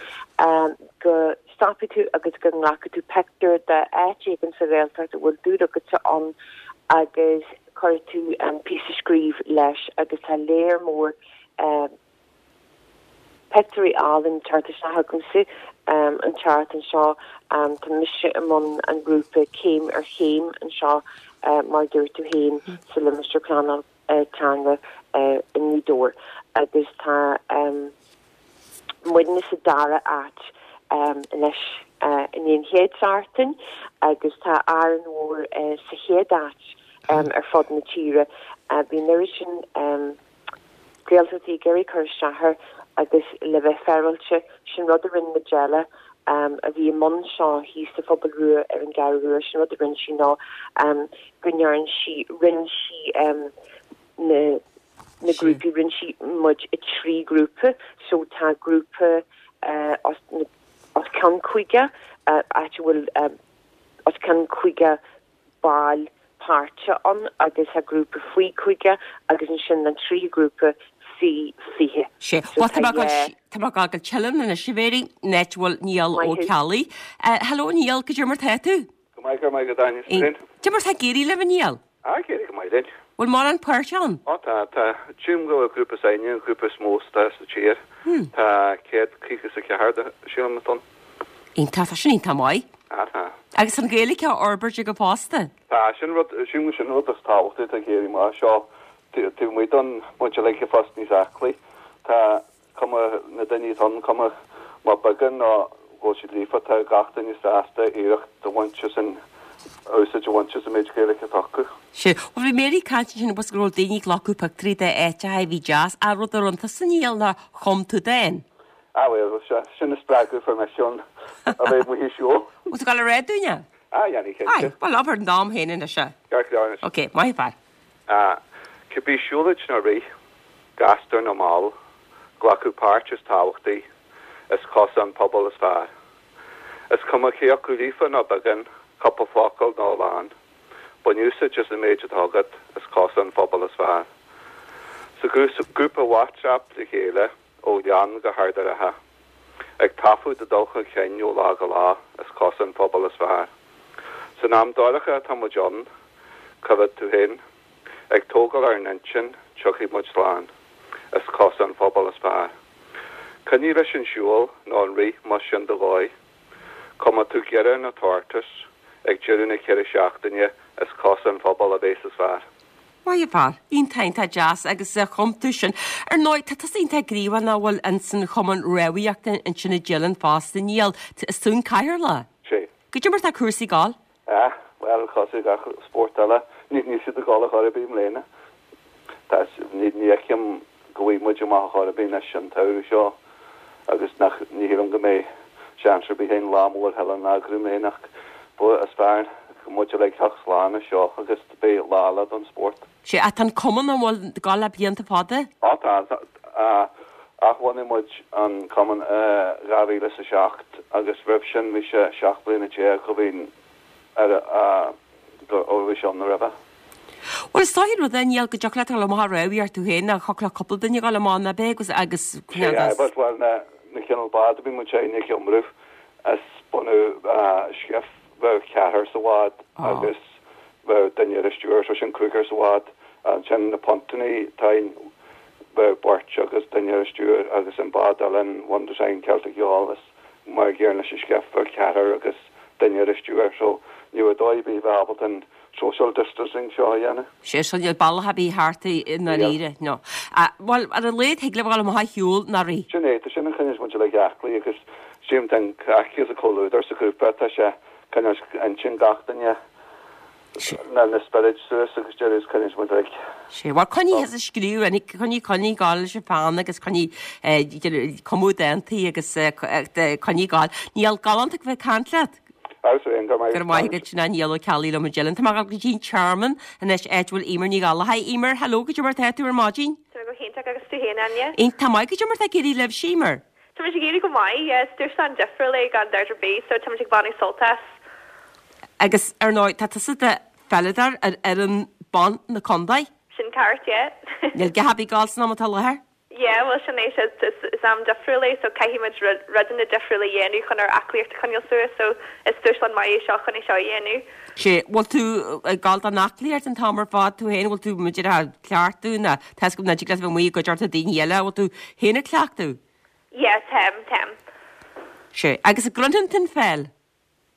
go stopfaidh tú agus go nglacfaidh tú pictiúr d'áit éigin sa Ghaeltacht a bhfuil dúil agatsa ann agus cuirfidh tú píosa scríobh leis agus tá léar mór Pictiúirí álainn ag teacht isteach agamsa an tseachtain seo. Tá mise i mbun an ghrúpa Céim ar Chéim anseo, mar a dúirt tú féin, sa Limistéar Pleanála Teanga i nGaoth Dobhair agus tá muidne sa dara áit anois i ndiaidh an chéad seachtain agus tá Árainn Mhór sa chéad áit ar fud na tíre. Bhí an oiread sin Gaeltachtaí ag iarraidh cur isteach air agus le bheith féaráilte, sin rud a rinne Majella a bhí i mbun seo thíos sa Phobal Rua ar an gCeathrú Rua, sin rud a rinne sí ná go ndearn sí, roinn sí na na grúpaí, roinn sí muid i trí grúpa, so tá grúpa os os cionn caoga, áit a bhfuil os cionn caoga ball páirteach ann agus tá grúpa faoi caoga agus ansin an tríú grúpa faoi fiche. Sea. Bhuel, tá mé ag dul, tá mé ag gabháil go Teileann anois, a Mhary, an áit a bhfuil Niall Ó Ceallaigh. Hello Niall, goidé mar tá tú? Go maith, go maith agat Áine, is tú? Goidé mar tá ag éirí libh, a Niall? Ah, ag éirí go maith linn. Bhfuil mórán páirteach ann? Ó tá, tá. Sílim go bhfuil grúpa s'againne an grúpa is mó atá sa tír. Tá céad caoga is a ceathair, sílim, atá ann. Iontach, tá sin iontach maith. Ah, tá. Agus an Ghaeilge á fhorbairt agat fosta. Tá, sin rud, sin sin rud is tábhachtaí atá ag éirí amach seo, taobh amuigh den muid uilig ag fás níos aclaí. Tá cuma na daoine atá ann, cuma má beagán nó go bhfuil siad líofa, tá gach duine sásta iarracht a bhaint as an úsáid a bhaint as an méid Gaeilge atá acu. Sea, bhuel bhí Mary ag caint ansin agus go raibh daoine ag glacadh pictiúirí de áiteacha a bhí deas, ach rud a rinne tusa a Niall ná chum tú dán. Ah bhuel, sin an spreagadh a fuair mé chun a bheith amuigh ag siúl. Bhfuil tú ag dul a rá dúinn é? Ah, dhéanfaidh, cinnte. Aye, bhuel abair an dán féin anois é. Ceart go leor anois. Ok, maith an fear. Ah, cibé siúlóid nó rith, gasta nó mall, glacadh páirt is tábhachtaí, is cosa an pobal is fearr. Is cuma cé acu líofa nó beagán, cúpla focal nó a lán, bain úsáid as an méid atá agat, is cosa an phobail is fearr. Sa ghrúpa WhatsApp le chéile, ó Ghleann go hArd an Rátha, ag taifeadh do dul chun cinn ó lá go lá, is cosa an phobail is fearr. San am dorcha atá muid ann, coimhéad tú féin, ag tógáil ár n-intinn, tiocfaidh muid slán, is cosa an phobail is fearr. Coinnigh leis an siúl nó an rith más sin do dhóigh. Cuma tú giorra nó tortas, ag deireadh na ceithre seachtaine, is cosa an phobail a bheas is fearr. Maith an fear. Iontach, iontach deas agus chum tú sin. Ar ndóigh, tá tusa iontach gníomhach nach bhfuil ins an Chumann Rámhaíochta ansin i dTeileann fosta, Niall. Is tú an cathaoirleach? Sé. Goidé mar tá cúrsaí ag gabháil? Ah, bhuel, cosúil gach spórt eile, níl siad ag gabháil ar chor ar bith i mbliana. Tá, ní fheicim go bhfaighidh muid amach ar chor ar bith anois an tsamhradh seo agus nach, ní shílim go mbeidh seans ar bith againn lá mór Theileann a eagrú i mbliana ach ba is fearr muid uilig theacht slán as seo agus beidh lá eile don spórt. Sea, ach tá an cumann an bhfuil ag gabháil le blianta fada? Á tá, athbhunaigh muid an cumann i dhá mhíle is a seacht agus roimh sin bhí sé seacht bliana déag ó bhí ar a ó bhí sé ann roimhe. Bhuel is dóigh rud é Niall go dtiocfadh leat a dhul amach ag rámhaíocht tú féin ach thiocfadh le cúpla duine a dhul amach ná beidh agus agus Sea, but bhuel na na cineál bád a bhí muid féin ag iomramh is bunadh skiff bheadh ceathrar sa bhád agus bheadh duine ar an stiúir so sin cúigear sa bhád. Ansin na pontannaí tá bheadh beirt agus duine ar an stiúir agus an bád eile an One Design Celtic Yawl is mar an gcéanna leis an skiff bheadh ceathrar agus duine ar an stiúir so ní raibh dóigh ar bith bheith ábalta an social distancing seo a dhéanamh. Sé so níl bealach ar bith thart i ndáiríre, no. Bhuel, ar a laghad thig libh a dhul amach ar shiúl ná rith. Sin é, tá sin a choinneos muid uilig aclaí agus sílim tá an craic agus an comhluadar sa ghrúpa, tá sé coinneos intinn gach duine na na spioraid suas agus deireadh is coinneos muid uilig. Sé, bhuel coinnigh thusa ag scríobh, coinnigh coinnigh ag gabháil leis an pheann agus coinnigh cumadh dántaí agus coinnigh ag gabháil. Niall, galánta a bheith ag caint leat. Agus féin, go raibh maith agat, sin é Niall Ó Ceallaigh liom i dTeileann. Tá mé ag dul go dtí an Tearmann anois áit a bhfuil Eimear Ní Ghallchóir. Hi Eimear, hello, goidé mar tá tú ar maidin? Tá mé go hiontach agus tú féin, Áine? Iontach maith, goidé mar tá ag éirí libhse, Eimear? Tá muid ag éirí go maith, yeah, is dúshlán difriúil é gan dabht ar bith, so tá muid ag baineadh sult as. Agus ar ndóigh, tá tusa i do pheileadóir ar fhoireann ban na contae? Sin ceart, yeah. Níl go happy gal san am atá i láthair? Yeah, bhuel sin é, is is am difriúil é so caithfidh muid rudanna difriúla a dhéanamh chun ár aclaíocht a choinneáil suas so is dúshlán maith é seo chun é seo a dhéanamh. Sé, bhfuil tú ag gabháil don aclaíocht an t-am ar fad tú féin, bhfuil tú b'fhéidir ag cleachtadh nó tá 'fhios agam nach dtig leat a bheith amuigh i gcuideachta daoine eile, bhfuil tú féin ag cleachtadh? Yeah, táim, táim. Sé, agus an gcroitheann tú an pheil?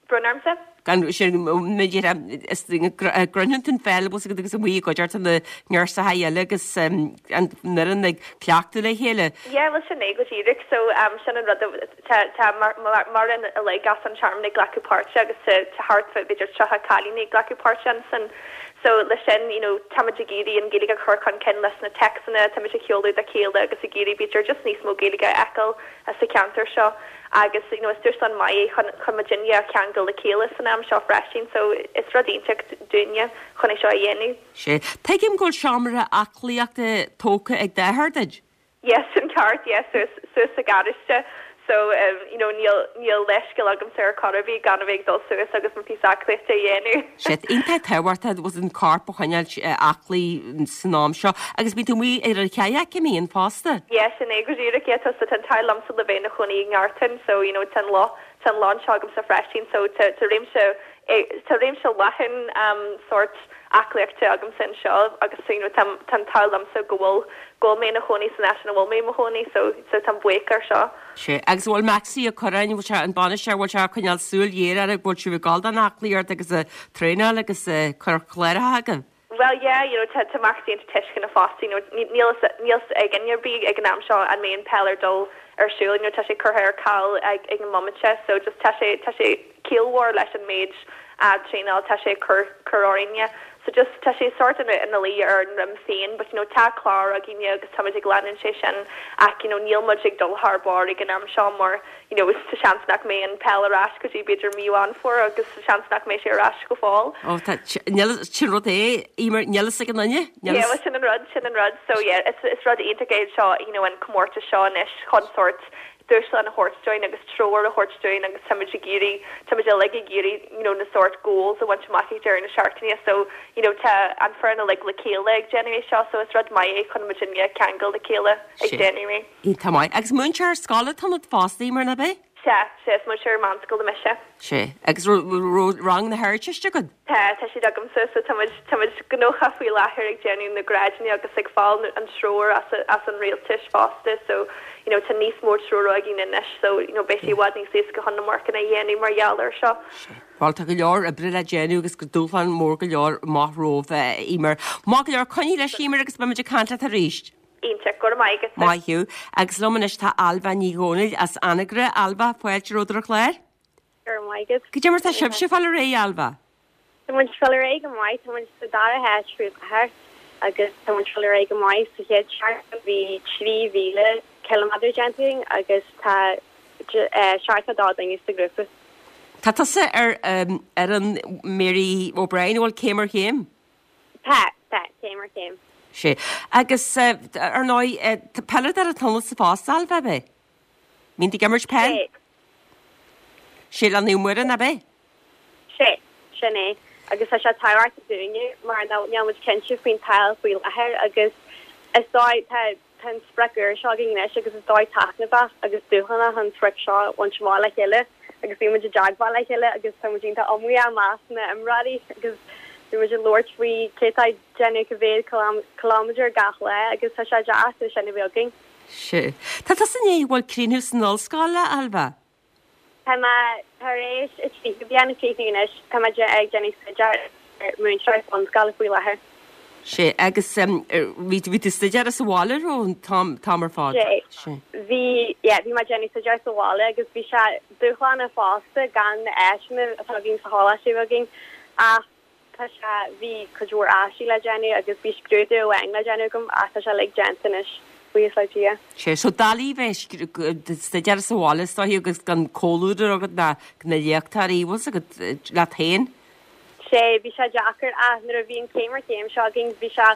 Brón ormsa? Gan sin b'fhéidir is gcroitheann tú an pheil bhfuil 'fhios agat agus amuigh i gcuideachta na ngirseacha eile agus an fhoireann ag cleachtadh le chéile. Yeah, bhuel sin é go díreach so sin an rud tá tá mar mar an uilig as an Tearmann ag glacadh páirte agus tá tá thart fá b'fhéidir tríocha cailíní ag glacadh páirte ansin so leis sin you know táimid ag iarraidh an Ghaeilge a chur chun cinn leis na téacsanna táimid ag sheoladh dá chéile agus ag iarraidh b'fhéidir just níos mó Gaeilge a fheiceáil sa cheantar seo agus you know is dúshlán maith é chun chun muidinne a cheangal le chéile san am seo freisin so is rud iontach dúinne chun é seo a dhéanamh. Sé. Tuigim go bhfuil seomra aclaíochta tógtha ag d'athair duit? Yes, sin ceart, yes, suas suas sa gharáiste so um you know níl níl leithscéal agamsa ar chor ar bith gan a bheith ag dul suas agus mo phíosa aclaíochta a dhéanamh. Sé, iontach tábhachtach was an corp a choinneáil aclaí san am seo agus bíonn tú amuigh ar an kayak an mbíonn fosta? Yes, sin é go díreach, yeah, tá tá an t-ádh liomsa le bheith i mo chónaí i nGartan so you know tá an loch tá an loch anseo agamsa freisin so tá tá réimse tá réimse leathan um, sort aclaíochta agamsa anseo agus so, you know, tá tá an t-ádh liomsa go bhfuil go bhfuil mé i mo chónaí san áit ina bhfuil mé i mo chónaí so so táim buíoch ar seo. Sé agus bhfuil Maxi a chur bhfuil sé an bainisteoir bhfuil sé ag coinneáil súil ghéar ar bhfuil sibh ag gabháil don aclaíocht agus a traenáil agus cur chléirithe agaibh. Well yeah, you know, tá tá Maxi iontach tuisceanach fosta, you know, níl níl ag duine ar bith ag an am seo an mbeidh an peil ar dul ar siúl, you know, tá sé curtha ar ceal ag ag an mbomaite, so just tá sé tá sé ciallmhar leis an méid uh, traenáil tá sé cur cur orainne. So just tá sé sort ina ina luí ar an rim féin, but you know, tá clár againne agus táimid ag leanúint sé sin ach you know, níl muid ag dul thar barr ag an am seo mar you know, tá seans nach mbeidh an peil ar ais go dtí b'fhéidir mí Mheán Fómhair agus seans nach mbeidh sé ar ais go fóill. Ó tá níl sin rud é Eimear níl ag an duine? Yeah, well, sin an rud sin an rud so yeah, it's, it's rud iontach é seo you know, an comórtas seo anois chun sort dúshlán a thabhairt dúinn agus treoir a thabhairt dúinn agus táimid ag iarraidh táimid uilig ag iarraidh you know, na sort goals a bhaint amach ag deireadh na seachtaine so you know, tá an foireann uilig le chéile ag déanamh é seo so is rud maith é chun muidinne ceangal le chéile ag Sé. déanamh é. Tá maith agus múinteoir scoile atá ionat fosta mar nach ea? Se sé is múinteoir meánscoile mise. Sé agus raibh rang na hArdteiste agat? Tá tá siad agamsa so táimid táimid gnóthach faoi láthair ag déanamh na grádanna agus ag fáil an treoir as as an rialtas fosta so you know, tá níos mó treoir againn anois so you know, beidh sé i bhfad níos éasca chun na marcanna a dhéanamh mar gheall ar seo. Well tá go leor oibre le déanamh agus go dúshlán mór go leor amach romhaibh Eimear. Maith go leor coinnigh leis Eimear agus beimid ag caint leat arís. Iontach go maith agat. Maith thú agus liom anois tá Ailbhe Ní Dhomhnaill as Anagaire Ailbhe fáilte romhat ar an chlár? Gur maigad. Goidé mar tá sibhse ag fáil ar aghaidh Ailbhe. Tá muid ag fáil ar aghaidh go maith tá muid sa dara háit faoi láthair agus tá muid ag fáil ar aghaidh go maith sa chéad seachtain bhí trí mhíle kilometer déanta againn agus tá seachtó dó duine sa grúpa. Tá tusa ar um, ar an Mary O'Brien bhfuil céim ar chéim? Tá tá céim ar chéim. Sé agus uh, ar ndóigh uh, peileadóir atá ionatsa fosta Ailbhe ab ea? Mbíonn tú ag imirt peil? Sé Sé le Naomh Muire nach ea? sé sin é agus tá sé tábhachtach dúinne mar níl muid cinnte faoin peil faoi láthair agus is dóigh tá tá an sprioc úr seo againn anois agus is dóigh taitneamhach agus dúshlánach an sprioc seo a bhaint amach le chéile agus bhí muid i dteagmháil le chéile agus tá muid iontach iomaíoch measc na n-imreoirí agus bhí muid ag labhairt faoi cé tá déanamh go mhéad kilometer gach lá agus tá sé deas é sin a bheith againn. Sé. Tá tusa i ndiaidh bhfuil críochnú san ollscoil Ailbhe? Tá mé tar éis a trí bliana críochnú anois tá mé ag déanamh staidéar ar múinteoir bunscoile faoi láthair. Sé agus um, bhí bhí tú staidéar sa bhaile ó an t-am t-am ar fad. Sé. Sé. Bhí yeah, bhí mé déanamh staidéar sa bhaile agus bhí sé dúshlánach fosta gan na áiseanna atá againn sa choláiste againn ach tá sé bhí cuid mhór aistí le déanamh agus bhí scrúdú amháin le déanamh agam ach tá sé uilig déanta anois buíochas le Dia. Sé so doiligh bheith staidéar sa bhaile is dóigh agus gan comhluadar agat na na léachtóirí bhfuil agat leat féin? Sé bhí sé deacair ach nuair a bhí an céim ar chéim seo againn bhí sé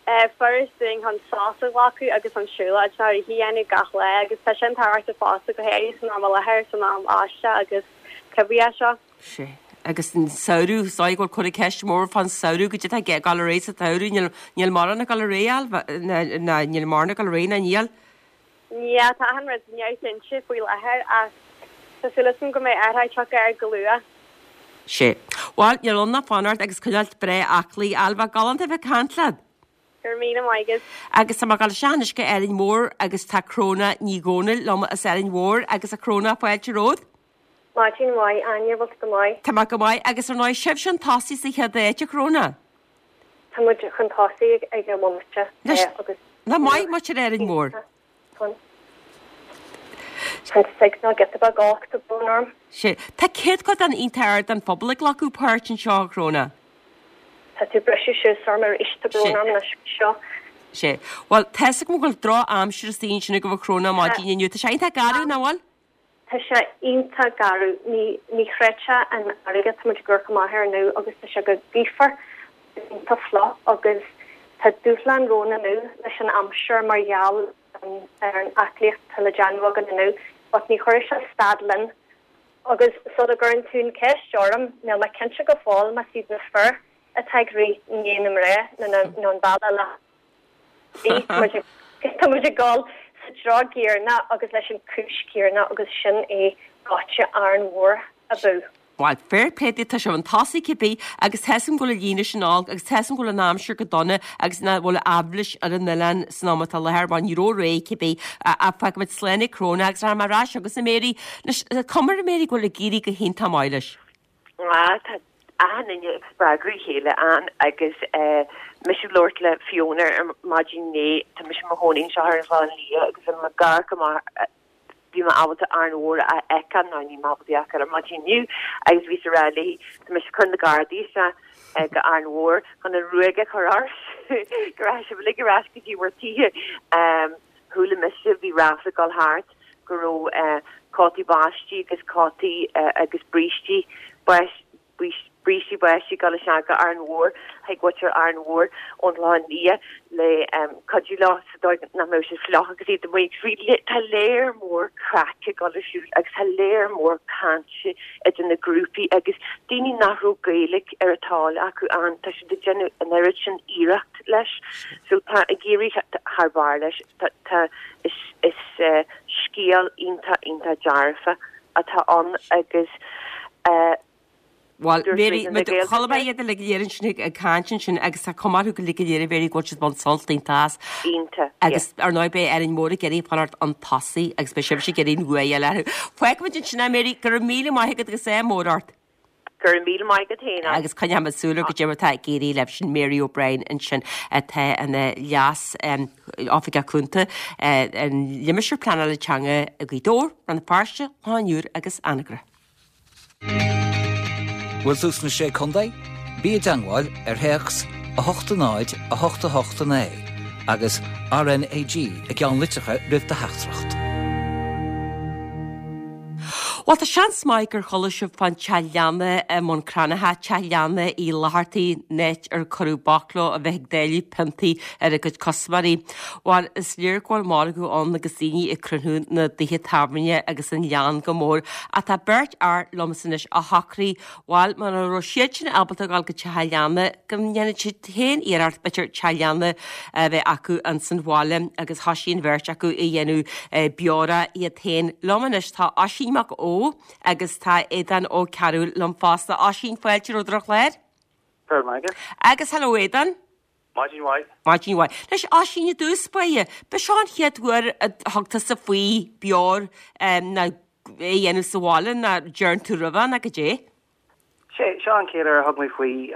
eh, furast dúinn chun sos a ghlacadh agus an siúlóid ná a dhéanamh gach lá agus tá sin tábhachtach fosta go háirithe san am i láthair san am aisteach agus cibé seo. Sé. Agus an samhradh is dóigh go bhfuil cur ceist mór fán samhradh goidé tá ag gabháil ar aghaidh sa tsamhradh níl níl mórán ag gabháil ar aghaidh ná níl mórán ag gabháil ar aghaidh ná níl. Ní tá an rud neamhchinnte faoi láthair ach tá súil agam go mbeidh athrú tagtha air go luath. Sé. Well níl ann ach fanacht agus coinneáil breá aclaí Ailbhe galánta bheith ag caint leat. Gur míle maith agat. Agus tá gal seanis go Árainn Mhór agus tá Cróna Ní Dhomhnaill liom as Árainn Mhór agus a Chróna fáilte romhat. Maidin mhaith Áine bhfuil go maith. Tá mé go maith agus ar ndóigh sibh chun tosaigh sa chéad áit a Chróna. Tá muid chun tosaigh ag an mbomaite agus Na maith mu ar Árainn Mhór. Tá signal giota beag olc tá brón orm. Sé Tá céatadán iontach ard den phobal ag glacadh páirt anseo a Chróna. Tá tú briseadh suas orm arís tá brón orm anois seo. Sé. Well tá go bhfuil drochaimsir istigh ansin go bhfuil Cróna maidin inniu Tá sé iontach garbh nach bhfuil? Tá sé iontach garbh ní ní chreidfeá an fharraige tá muid ag amharc amach air inniu agus tá sé go gaofar iontach fliuch agus tá dúshlán romhainn inniu leis an aimsir mar gheall ar an aclaíocht atá le déanamh againn inniu, but ní chuirfidh sé stad linn. Agus sula gcuireann tú an ceist orm, níl mé cinnte go fóill más iad na fir atá ag rith i ndiaidh na mná nó nó an bealach le Tá muid ag dul sa treo céanna agus leis an cúis céanna agus sin é ráite Árainn Mhór abú. Bhuel, fair play duit, tá sibh chun tosaigh cibé agus tá 'fhios a'm go bhfuil an líne sin olc agus tá 'fhios a'm go bhfuil an aimsir go dona agus nach bhfuil aibhléis ar an oileán san am atá i láthair, bhuel ní raibh aréir cibé ach fágfaidh muid slán ag Cróna agus rachaidh mé ar ais chugatsa a Mary. Anois, tá cuma ar Mary go bhfuil ag éirí go hiontach maith leis. Ah, tá achan duine ag spreagadh a chéile ann agus eh, mise ag labhairt le Fiona ar maidin inné, tá mise i mo chónaí anseo ar an Chlochán Liath agus bhí mé ag amharc amach bhí mé ábalta Árainn Mhór a fheiceáil nó ní mé ábalta a fheiceáil ar maidin inniu agus bhíos ag rá léi tá mise ag cur na Gardaí isteach go Árainn Mhór chun an ruaig a chur oraibh go raibh sibh uilig ar ais go dtí bhur dtithe. Chuala mise bhí ráfla ag dul thart go raibh cótaí báistí agus cótaí agus brístí brístí báistí ag dul isteach go Árainn Mhór chuig mhuintir Árainn Mhór ón Chlochán Liath le cuidiú leo sa dóigh nach mbeadh siad fliuch agus iad amuigh. Bhí tá léar mór craic ag dul ar siúl agus tá léar mór cainte idir na grúpaí agus daoine nach raibh Gaeilge ar a dtoil acu ann, tá siad ag déanamh an oiread sin iarracht leis. So tá ag éirí thar barr leis. Tá tá is is scéal iontach iontach dearfa atá ann agus eh, Bhuel, Mary, chuala mé iad uilig go léir ansin ag caint ansin agus tá cuma orthu uilig go léir a Mary go bhfuil siad ag baint sult iontach as. Iontach, Agus ar ndóigh beidh Árainn Mhór ag iarraidh fanacht chun tosaigh agus beidh sibhse ag iarraidh an bua a fháil orthu. Fágfaimid ansin é Mary, go raibh míle maith agat agus ádh mór ort. Go raibh míle maith agat féin. Agus coinneoimid súil ar goidé mar atá ag éirí libh sin Mary O'Brien ansin atá ina leas oifigeach cúnta an Limistéir Pleanála Teanga i Gaoth Dobhair, Rann na Feirste, Loch an Iúir agus Anagaire. Bhfuil tú sna sé contae? Bí i dteagmháil ar théacs a hocht a náid a hocht a hocht a naoi agus RNAG i gceannlitreacha roimh do theachtaireacht. Bhuel tá seans maith gur chuala sibh fán teach leanna i mBun Cranncha, teach leanna Uí Fhlathartaigh, an áit ar cuireadh bac leo a bheith ag dáileadh piontaí ar a gcuid custaiméirí. Bhuel is léir go bhfuil margadh ann agus daoine ag cruinniú na dtithe tábhairne agus an leann go mór. Ach tá beirt fhear liomsa anois a shocraigh bhuel mura raibh siad sin ábalta dul go teach an leanna go ndéanfaidh siad féin iarracht b'fhéidir teach leanna a bheith acu ins an bhaile agus thoisigh an bheirt acu a dhéanamh beora iad féin. Liom anois tá Oisín Mac Ó agus tá Aodán Ó Cearúil liom fosta. Oisín fáilte romhat ar an chlár. Agus hello Aodán. Maidin mhaith. Maidin mhaith. Anois Oisín i dtús báire, ba seo an chéad uair a thug tusa faoi beoir nó é a dhéanamh sa bhaile nó ndearna tú roimhe nó goidé? Sé seo an chéad uair a thug mé faoi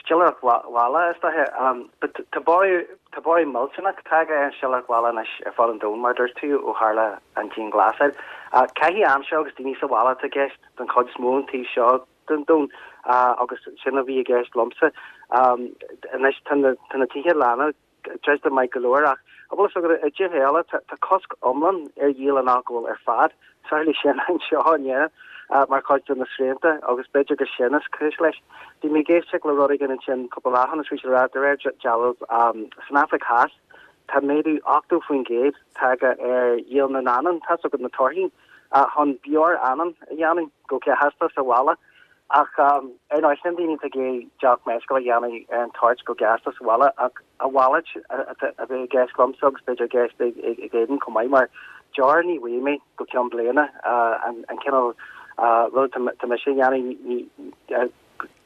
stiléireacht bhaile is dóiche. But tá borradh tá borradh millteanach tagtha ar an stiléireacht bhaile anois ar fud an domhain mar dúirt tú ó tharla an dianghlasáil. Caitheamh aimsire agus daoine sa bhaile atá i gceist don chuid is mó an taobh seo den domhan agus sin a bhí i gceist liomsa. Anois tá na tá na tithe leanna druidte maith go leor ach an bhfuil a fhios agat i dtíortha eile tá cosc iomlán ar dhíol an alcóil ar fad. Tharla sin anseo in Éirinn mar chuid de na srianta agus b'fhéidir gur sin is cúis leis. Bhí mé ag éisteacht le rud éigin ansin cúpla lá ó shin is bhí siad ag rá de réir dealraimh san Afraic Theas tá méadú ochtó faoin gcéad tagtha ar dhíol na n-anann, tá a fhios agat na torthaí, chun beoir anann a dhéanamh go gasta sa bhaile. Ach ar ndóigh sin daoine atá ag iarraidh deoch meisciúil a dhéanamh ar an toirt go gasta sa bhaile ach a mhalairt a bheith i gceist liomsa agus b'fhéidir i gceist ag Aodán chomh maith mar deoir ní bhfaighidh mé go ceann bliana an cineál rud atá mise a dhéanamh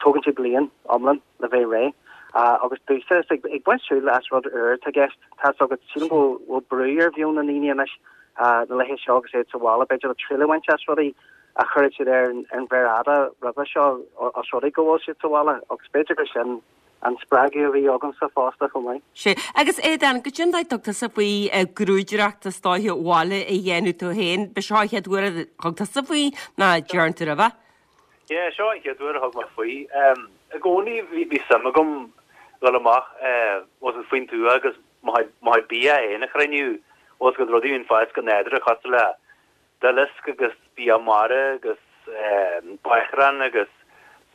tógann sé bliain iomlán le bheith réidh agus domhsa is ag baint triail as rud úr atá i gceist tá a fhios agat sílim go bhfuil brú ar mheon na ndaoine anois na laethe seo agus iad sa bhaile b'fhéidir le triail a bhaint as rudaí a chuirfeadh siad ar an mhéar fhada roimhe seo os rud é go bhfuil siad sa bhaile agus b'fhéidir gur sin an spreagadh a bhí agamsa fosta chomh maith. Sea. Agus Aodán, goidé an dóigh a dtug tusa faoi grúdaireacht is dóiche bhaile a dhéanamh tú féin? Ba seo an chéad uair a thug tusa faoi nó ndearna tú roimhe? Yeah, seo an chéad uair a thug mé faoi. I gcónaí bhí suim agam dul amach faoin tuath agus mo chuid bia féin a chruinniú, bhfuil a fhios agat rudaí a bhíonn ag fás go nádúrtha cosúil le duileasc agus bia mara agus bácrán agus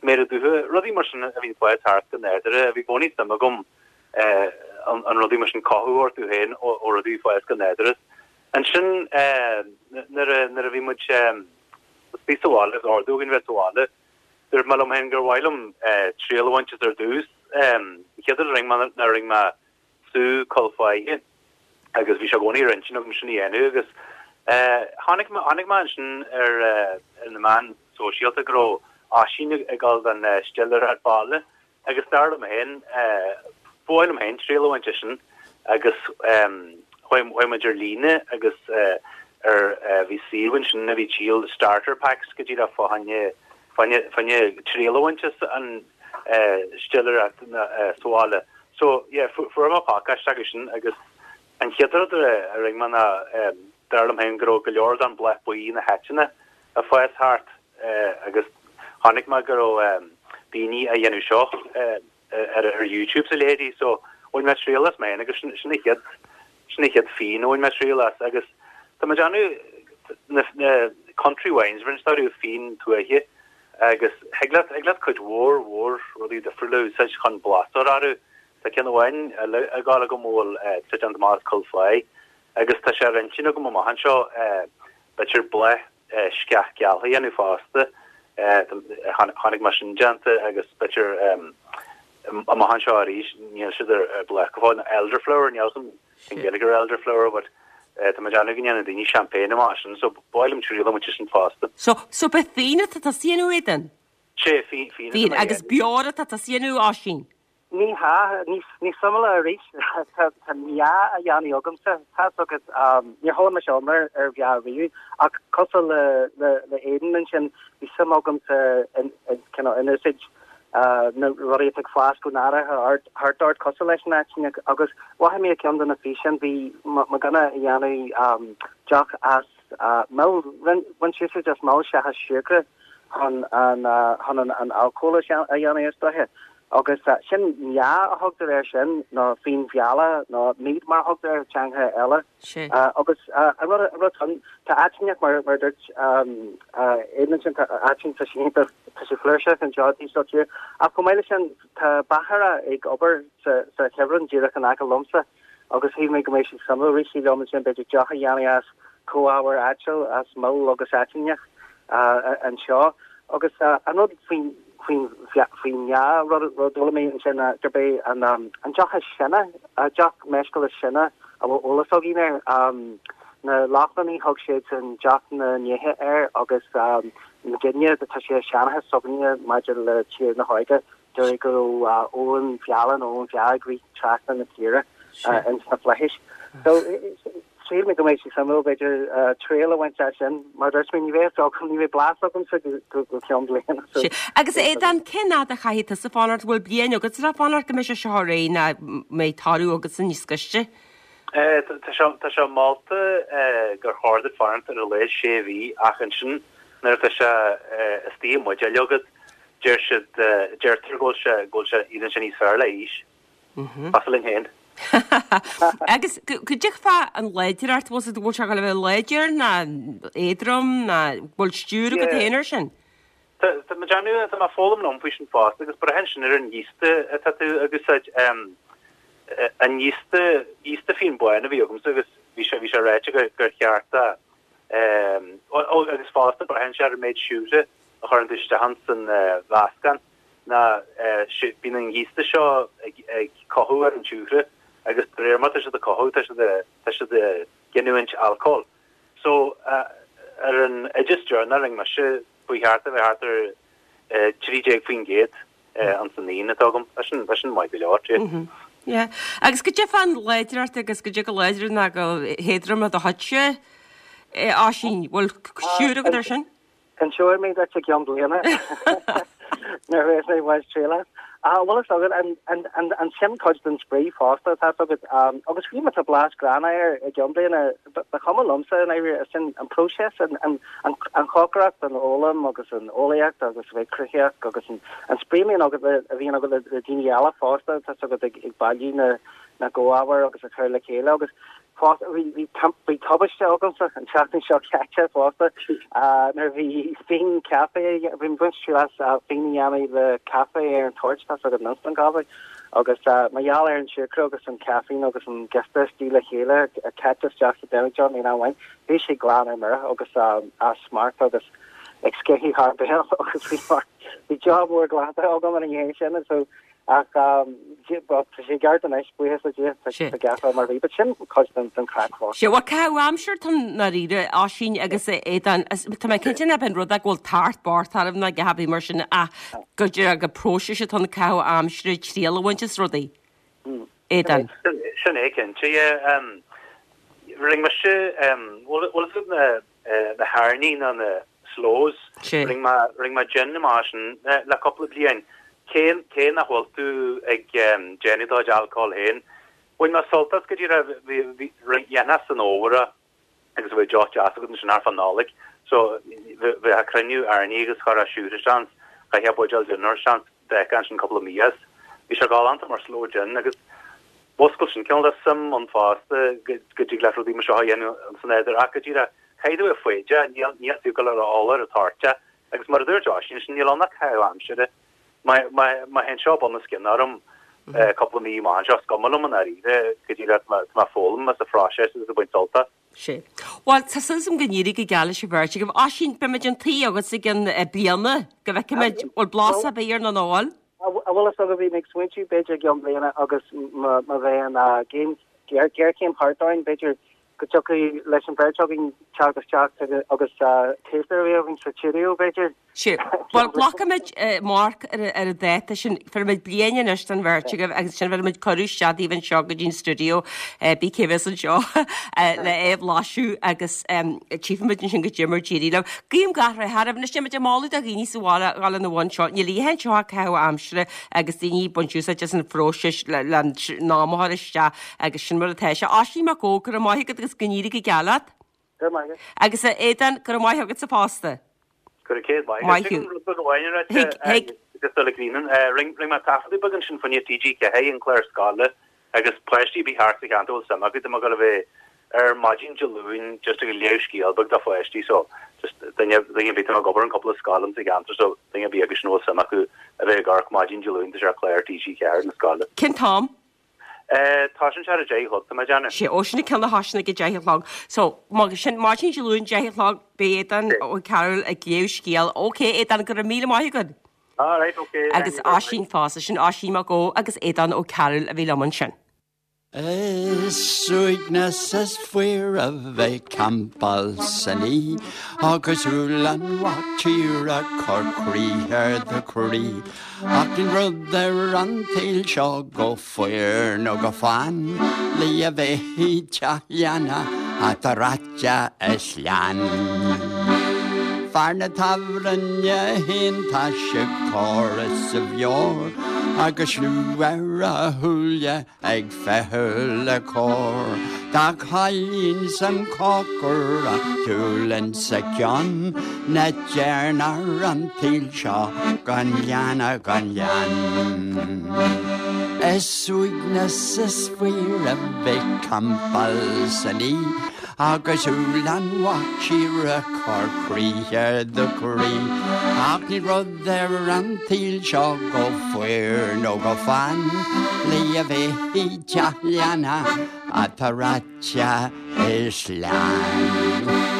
sméara dubha, rudaí mar sin a bhíonn ag fás thart go nádúrtha. Bhí i gcónaí suim agam an rudaí mar sin cothú orthu féin ó rudaí ag fás go nádúrtha. Ansin nuair a nuair a bhí muid bhí sa bhaile agus ordú againn bheith sa bhaile, dúirt mé liom féin gur mhaith liom triail a bhaint as ar dtús. An chéad rud a rinne mé ná rinne mé sú col foighde agus bhí sé i gcónaí ar intinn agam sin a dhéanamh agus tháinig mé tháinig mé ansin ar ar na meáin sóisialta go raibh Oisín ag dul don stiléireacht bhaile agus dar liom féin ba mhaith liom féin triail a bhaint as sin agus chuaigh muid ar líne agus ar bhí suíomh ansin a bhí ag díol starter packs go díreach fá choinne fá choinne triail a bhaint as an stiléireacht sa bhaile. So yeah fuair mé pacáiste acu sin agus an chéad rud a rinne mé ná dar liom féin go raibh go leor den bhláth buí na haiteanna ag fás thart agus chonaic mé go raibh daoine á dhéanamh seo ar ar YouTube 's a leithéidí so bhain mé triail as mé agus sin sin an chéad sin an chéad fíon a bhain mé triail as agus tá mé ag déanamh na na country wines rinne orthu fíon tuaithe agus thig leat thig leat cuid mhór mhór rudaí difriúla a úsáid chun blas a chur orthu. Tá ceann amháin eile ag gabháil agam a bhfuil tá déanta amach as coill pháí agus tá sé ar intinn agam amach anseo b'fhéidir bláth sceach geal a dhéanamh fosta. Chonaic mé sin déanta agus b'fhéidir amach anseo arís níl siad ar bláth go fóill, elderflower, níl a fhios agam cén Ghaeilge ar elderflower but tá mé ag déanamh go ndéanann daoine champagne amach as sin so ba mhaith liom triail a bhaint as sin fosta. So, so ba fíon atá tusa a dhéanamh Aidan? Sé, fíon, fíon atá Fíon, mé a agus dhéanamh. beoir atá tusa a dhéanamh Oisín? Ní hea, níos, níos suimiúla arís, tá, tá meá á dhéanamh agamsa, tá a fhios agat, níor chuala mise iomrá ar mheá riamh, ach cosúil le, le, le Aidan ansin, bhí suim agamsa in, in, cineál, in úsáid na rudaí atá ag fás go nádúrtha thart ort cosúil leis an aiteann agus mhothaigh mé i gceann de na físeáin bhí mo dhuine ag déanamh deoch as mil, bhain sé úsáid as mil seachas siúcra chun an chun an alcól a dhéanamh is dóiche. Agus sin meá a thugtar air sin nó fíon mheala nó mead mar a thugtar air i dteangacha eile. Agus an rud an rud ann tá aiteann mar mar a dúirt Aidan ansin tá aiteann tá sé iontach tá sé flúirseach anseo taobh seo tíre. Ach chomh maith leis sin tá beachaire ag obair sa sa chuibhreann díreach in aice liomsa agus shíl mé go mbeidh sé suimiúil rith sé liom ansin b'fhéidir deoch a dhéanamh as comhábhair áitiúil as mil agus aiteann anseo. Agus an rud faoin faoin faoin meá rud rud a d'fhoghlaim mé ansin ná gurb é an an deoch is sine, deoch meisciúil is sine a bhfuil eolas againn air. Na Lochlannaigh thug siadsan deoch na ndéithe air agus muidinne tá sé i seanchas s'againne maidir le Tír na hÓige deirtear go raibh abhainn mheala nó abhainn mheá ag rith trasna na tíre ins na flaithis. So shíl mé go mbeidh sé suimiúil b'fhéidir triail a bhaint as sin mar dúirt mé ní bheidh a fhios agam ní bheidh blas agamsa go go ceann bliana. So Agus Aodán cén fhad a chaithfidh tusa fanacht bhfuil bliain agat le fanacht go mbeidh sé seo réidh nó mbeidh toradh agatsa níos gaiste? Tá sé molta gur chóir duit fanacht ar a laghad sé mhí ach ansin nuair atá sé istigh i mbuidéal agat deir siad deirtear go bhfuil sé go bhfuil sé éiríonn sé níos fearr le haois. Cosúil linn féin. Agus cad é fá an láidreacht bhfuil sé bhfuil sé ag gabháil a bheith láidir ná éadrom ná bhfuil stiúir agat féin air sin? Tá tá mé ag déanamh tá mé ag foghlaim liom faoi sin fosta agus braitheann sin ar an giosta atá tú ag úsáid an giosta giosta fíon bán a bhí agamsa agus bhí sé bhí sé ráite gur gur cheart a ó agus fosta braitheann sé ar an méid siúcra a chuireann tú isteach ins an mheascán ná bíonn an giosta seo ag ag cothú ar an siúcra agus de réir mar tá siad ag cothú tá siad tá siad ag giniúint alcól. So ar an oideas deireanach a rinne mise ba cheart a bheith thart ar trí déag faoin gcéad ins an fhíon atá agam. Tá sin tá sin maith go leor, yeah. Yeah. Agus cad é fán láidreacht agus cad é chomh láidir ná chomh héadrom do chuidse Oisín, bhfuil stiúir agat ar sin? Inseoidh mé duit i gceann bliana nuair a bheas mé ag baint triail as. Ah, bhfuil a fhios agat, an, an, an, an sin cuid den spraoi fosta atá agat, um, agus fiú má tá blas gránna air i gceann bliana, ba, ba chuma liomsa i ndáiríre, sin an próiseas, an, an, an, an chócaireacht, an fhoghlaim agus an eolaíocht agus a bheith cruthaitheach agus an, an spraoi a bhíonn agat le, a bhíonn agat le, le daoine eile fosta, tá a fhios agat ag, ag bailiú na, na gcomhábhar agus a chur le chéile agus fosta bhí bhí bhí tubaiste agamsa an tseachtain seo caite fosta nuair a bhí fíon caife bhí mé ag baint triail as fíon a dhéanamh le caife ar an toirt tá a fhios agat an instant coffee agus mar gheall ar an siúcra agus an caiféin agus an giosta istigh le chéile caite isteach sa demijohn aon amháin bhí sé glan ar mire agus as smacht agus ag sceitheadh thar béal agus bhí mar bhí job mór glanta agam ina dhiaidh sin so Ach tá sé ceart anois, buíochas le Dia, tá sé ceart mar bhí, but sin cuid den den craic fosta. Sea, bhuel, caitheamh aimsire atá i ndáiríre, Oisín agus Aodán, tá mé cinnte nach b'in rud é go bhfuil tart bocht oraibh ná a dhath ar bith mar sin ach go dtí go próiseas atá ann caitheamh aimsire, triail a bhaint as rudaí. Aodán. Sin é cinnte, yeah. Rinne mise, bhfuil bhfuil fhios agat na na hairní nó na sloes, rinne mé rinne mé gin amach sin le cúpla bliain. Cé cé nach bhfuil tú ag déanamh do chuid alcóil féin, bhain mé sult as go díreach bhí bhí dhéanfá san fhómhar é agus bheadh deoch deas agat ansin thart fán Nollaig. So bheifeá ag cruinniú airní agus chuirfeá siúcra isteach ann, chaithfeá buidéal gin a chur isteach ann, d'fhéachfá ansin cúpla mí as. Bhí sé galánta mar sloe gin agus mhúscail sin cineál de suim ann fosta go go dtig leat rudaí mar seo a dhéanamh san nádúr ach go díreach caithfidh tú a bheith foighdeach, níl níl tú ag dul ar ól ar an toirt agus mar a dúirt Oisín ansin níl ann ach caitheamh aimsire. Má má má théann seo bun os cionn orm cúpla mí amach anseo, is cuma liom i ndáiríre go díreach tá mé ag foghlaim as an phróiseas agus ag baint sult as. Sea. Bhuel, tá súil agam go n-éirí go geal leis an bheirt agaibh. Oisín, beimid an taobh agat i gcionn bliana go bhfeicfimid bhfuil blas ar bith air nó nach bhfuil. An bhfuil fhios agat bhí mé ag smaointiú b'fhéidir i gceann bliana agus má bheidh an géarchéim thart orainn b'fhéidir go dtiocfadh leis an bheirt againn teacht isteach agus taster a bheith againn sa stiúideo b'fhéidir. Sea. Bhuel, glacfaimid marc ar an dáta sin. Bhéarfaimid bliain anois don bheirt agaibh agus ansin bhéarfaimid cuireadh isteach daoibh anseo go dtí an stiúideo, bí cé bheas anseo le é a bhlaiseadh agus tchífimid ansin goidé mar d'éirigh libh. Guím gach rath oraibh. Anois táimid ag moladh do dhaoine sa bhaile a dhul ina bhun seo. Níl oíche anseo ach caitheamh aimsire agus daoine ag baint úsáid as an phróiseas le an am a chur isteach agus sin mar atá sé. Oisín Mac Ó, go raibh maith agat agus go n-éirí go geal leat. Go raibh maith agat. Agus a Aodáin, go raibh maith agatsa fosta. Go raibh céad maith agat. Maith thú. Rud beag amháin a ráite Thig, thig. just dul ag líonadh. Rinne rinne mé taifeadadh beag ansin fá choinne TG Ceathair, an clár scoile, agus páistí a bhí thart sa cheantar a bhfuil suim acu, tá mé ag dul a bheith ar maidin Dé Luain just ag léamh scéal beag do pháistí so just duine duine ar bith, tá mé ag obair in cúpla scoil sa cheantar so duine ar bith acu sin a bhfuil suim acu a bheith ag amharc maidin Dé Luain tá sé ar chlár TG Ceathair na scoile. Cén t-am? Tá sin ar a deich a chlog, tá mé ag déanamh. Sé, ó sin ceann a thosaíonn ag a deich a chlog. So, má sin maidin Dé Luain deich a chlog, beidh Aodán Ó Cearúil ag léamh scéal. Ok, Aodán, go raibh míle maith agat. All right, ok. Agus Oisín fosta, sin Oisín Mac Ó agus Aodán Ó Cearúil a bhí liom ansin. Is uaigneas is fuar a bheith campáil san oíche agus úll an mhac tíre cur crith ar do chroí. Ach níl rud ar an tsaol seo chomh fuar nó chomh fann le a bheith i dteach leanna atá reaite as leann. Fear na tábhairne fhéin tá sé corraithe as a mheabhair agus liú ar a shúile ag feitheamh le cóir. Dá chailín san chócair a shiúl insa cheann na deireanach an tsaoil seo gan leanna gan leann. Is uaigneas is fuar a bheith campáil san oíche agus úll an mhac tíre cur crith ar do chroí. Ach níl rud ar an tsaol seo chomh fuar nó chomh fann le a bheith i dteach leanna atá reaite is leann.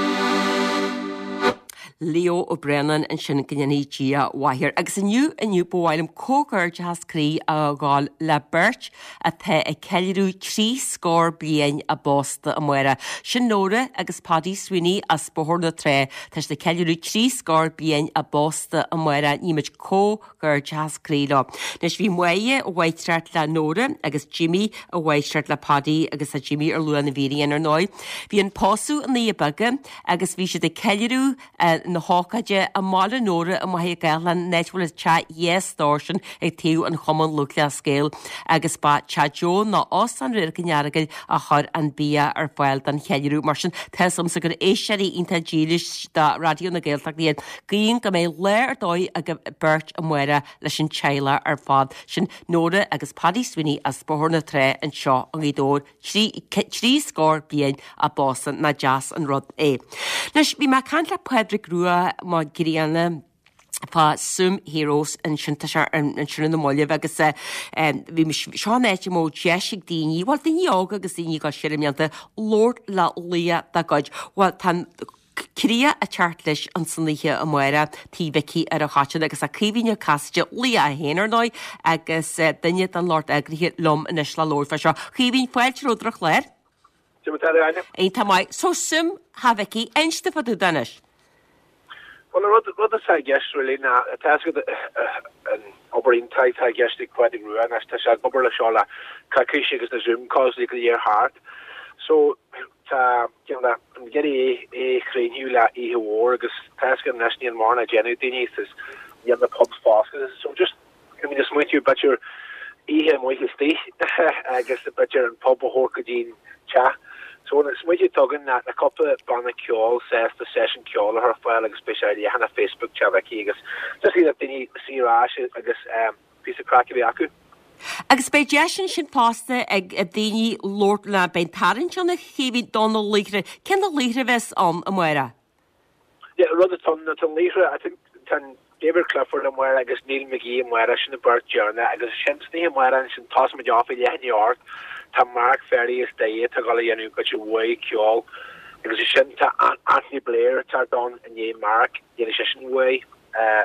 Leo Ó Braonáin ansin go ndéanfaidh Dia mhaith air. Agus inniu inniu ba mhaith liom comhghairdeachas croí a ghabháil le beirt atá ag ceiliúradh trí scór bliain a bpósta amárach. Sin Nóra agus Paddy Sweeney as Bóthar na Trá. Tá siad ag ceiliúradh trí scór bliain a bpósta amárach. Nímid comhghairdeachas croí leo. Anois bhí Máire i bhfáitreacht le Nóra agus Jimmy i bhfáitreacht le Paddy agus tá Jimmy ar luath na bhfírinne ar ndóigh. Bhí an pósadh i nDoire Beaga agus bhí siad ag ceiliúradh na hócáide i mbaile Nóra i Machaire Gathlán, an áit a bhfuil an teach dhá stór sin ag taobh an Chumann Lúthchleas Gael agus ba Teach Joe nó Óstán Radharc an Earagail a chuir an bia ar fáil don cheiliúradh. Mar sin, tá 'fhios a'msa gur éisteoirí iontach dílis do Raidió na Gaeltachta iad. Guím go mbeidh lá ar dóigh agaibh beirt amárach leis an teaghlach ar fad. Sin Nóra agus Paddy Sweeney as Bóthar na Trá anseo i nGaoth Dobhair. Trí trí scór bliain a bpósta, nach deas an rud é. Anois, bhí mé ag caint le Pádraig Rua Mac Grianna fá Zoom Heroes ansin tá sé ansin ina mBaillimh agus bhí seo an áit a mbeadh deis ag daoine, bhuel daoine óga agus daoine ag dul siar i mblianta, labhairt le laoch dá gcuid. Bhuel tá an Críoch ag teacht leis ansan oíche amárach Tigh Mhicí ar an Choiteann agus tá Caoimhín Ó Casaide, laoch é féin ar ndóigh agus duine den lucht eagraithe liom anois le labhairt fá seo. Caoimhín, fáilte romhat ar an chlár. Cad é mar atá tú, Áine? Iontach maith. So Zoom Theach Mhicí, inis domh fá dtaobh de anois. Bhuel, an rud, rud atá i gceist really ná, tá a fhios agat an obair iontach atá i gceist ag Pádraig Rua anois, tá sé ag obair leis seo le coicís agus na Zoom calls go léir thart. So tá cineál an ag iarraidh é a chríochnú le oíche mhór agus tá a fhios agat anois níl mórán á déanamh ag daoine is níl na pubs foscailte so just I mean smaointiú b'fhéidir oíche amuigh istigh agus b'fhéidir an pub a thabhairt go dtí an teach. So an smaointiú atá againn ná na cúpla banna ceoil sásta seisiún ceoil a chur ar fáil agus beidh sé ar leathanach Facebook Teach Mhicí agus just iad daoine suí ar ais agus um, píosa craic a bheith acu. Agus beidh deis ansin fosta ag daoine labhairt le, beidh an tarraingt ann a Chaoimhín do na laochra. Cé na laochra a bheas ann amárach? Yeah, rud atá ann, tá an laochra, I think tá David Clifford amárach agus Neil McGee amárach, sin an bheirt deireanach agus sin san oíche amárach ansin tosóidh muid off ag leath i ndiaidh a hocht, tá Mark Ferry as Doire atá ag dul a dhéanamh cuid mhaith ceoil agus ansin tá Anthony Blair ag teacht ann i ndiaidh Mark, dhéanfaidh seisean uaidh.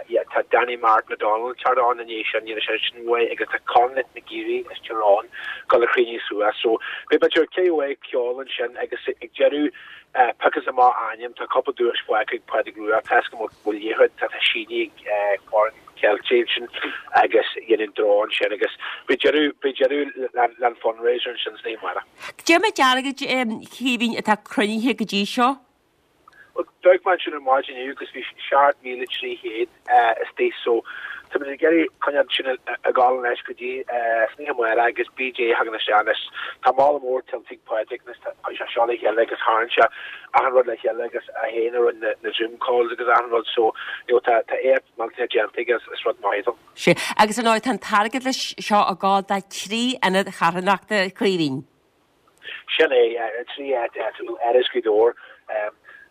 Yeah, tá Danny Martin O'Donnell ag teacht ann i ndiaidh sin, dhéanfaidh seisean uaidh agus tá Conleth McGeary as Tír Eoghain ag dul a chríochnú suas. So beidh b'fhéidir ceithre mhaith ceoil ansin agus ag deireadh piocas amach ainm, tá cúpla duais fágtha ag Pádraig Rua, tá a fhios go bhfuil liathróid, tá tá sínithe ag foireann Celtic ansin agus dhéanann draw ansin agus beidh deireadh, beidh deireadh le an fundraiser ansin san oíche amárach. Cad é méid airgid, a Chaoimhín, atá cruinnithe go dtí seo? Bhuel, d'amharc mé ansin ar maidin inniu agus bhí seacht míle trí chéad istigh so tá muid ag iarraidh coinneáil sin ag gabháil anois go dtí san oíche amárach agus BJ a thagann isteach anois. Tá moladh mór tuillte ag Pádraig anois, tá chuir sé seo le chéile agus tharraing sé achan rud le chéile agus é féin a rinne na Zoom calls agus achan rud so you know tá tá éacht millteanach déanta aige is rud maith é. Sea, agus ar ndóigh tá an t-airgead leis seo ag gabháil do trí ionad charthanachta, a Chaoimhín. Sin é, trí áit áitiúil, Áras Ghaoth Dobhair,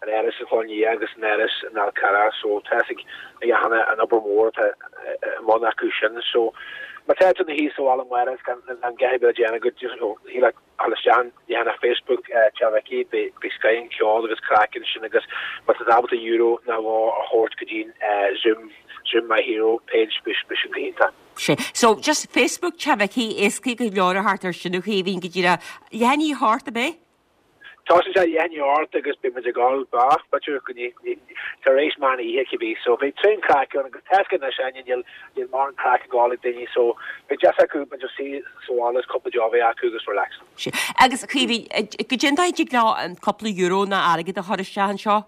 an Áras an Chlochán Liath agus an Áras an Fhál Carrach so tá a fhios ag achan duine an obair mhór atá i mbun acu sin so má tá tú ina shuí sa bhaile amárach is gan a dhath ar bith le déanamh agat just thig leat dul isteach an leathanach Facebook Teach Mhicí beidh scoth an cheoil agus craic ansin agus má tá tú ábalta euro nó dhó a thabhairt go dtí Zoom Zoom My Hero page beidh sin go hiontach. Sea. So, just Facebook Teach Mhicí, éascaí go leor a theacht air sin a Chaoimhín go díreach. Leath i ndiaidh a hocht, ab é? Tosaíonn sé leath i ndiaidh a hocht agus beidh muid ag gabháil b'fhéidir go dtí tar éis meán oíche cibé. So beidh tréan craic ann agus tá a fhios agat anois Áine níl níl mórán craic ag gabháil ag daoine so beidh deis acu b'fhéidir suí sa bhaile is cúpla deoch a bheith acu agus relax. Sea. Agus a Chaoimhín, goidé an dóigh a dtig leo an cúpla euro nó airgead a chur isteach anseo?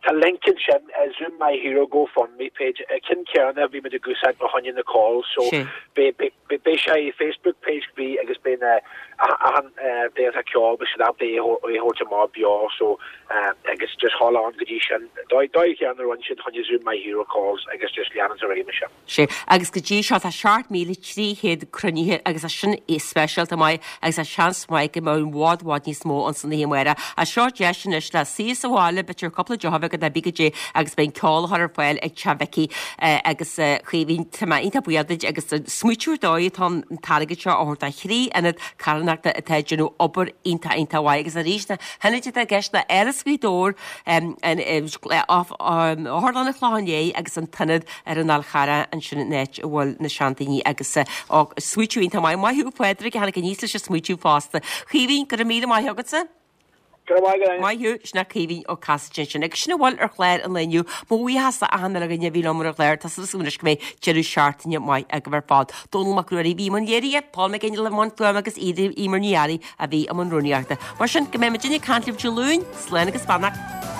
Tá link ansin, Zoom My Hero GoFundMe page, ceann céanna a bhí muid ag úsáid fá choinne na calls so beidh sé i Facebook page bí agus beidh na achan duine atá ceol beidh siad ábalta é a thabhairt amach beo so agus just dhul ann go dtí sin. Dóigh chéanna a rinne siad fá choinne Zoom My Hero calls agus just leanann ar aghaidh mar sin. Sea, agus go dtí seo tá seacht míle trí chéad cruinnithe agus tá sin speisialta maith agus tá seans maith go mbeidh i bhfad bhfad níos mó ansan oíche amárach. Ach seo deis anois le suí sa bhaile, b'fhéidir cúpla deoch a bheith agat nó goidé agus beidh an ceol á chur ar fáil ag Teach Mhicí agus Chaoimhín, tá mé iontach buíoch duit agus smaoitiú ar dóigh atá an t-airgead seo a thabhairt do thrí ionad carthanachta atá ag déanamh obair iontach iontach mhaith agus arís na hionaid atá i gceist ná Áras Ghaoth Dobhair, Otharlann an Chlocháin Léith agus an t-ionad ar an Fhál Charrach ansin in áit a bhfuil na seandaoine agus smaoitiú iontach maith. Maith thú a Phádraig a tháinig aníos leis an smaoitiú fosta. Chaoimhín, go raibh míle maith agatsa. Go raibh maith agat. Maith thú, sin é Caoimhín Ó Casaide ansin. Agus sin a bhfuil ar chlár an lae inniu. Mo bhuíochas le achan uile dhuine a bhí liom ar an gclár. Tá súil agam anois go mbeidh deireadh seachtaine maith agaibh ar fad. Dónall Mac Ruairí a bhí i mbun léirithe, Paul McGinley i mbun fuaime agus Eimear Ní Fhearraigh a bhí i mbun rúnaíochta. Mar sin, go mbeidh muidinne ag caint libh Dé Luain, slán agus beannacht.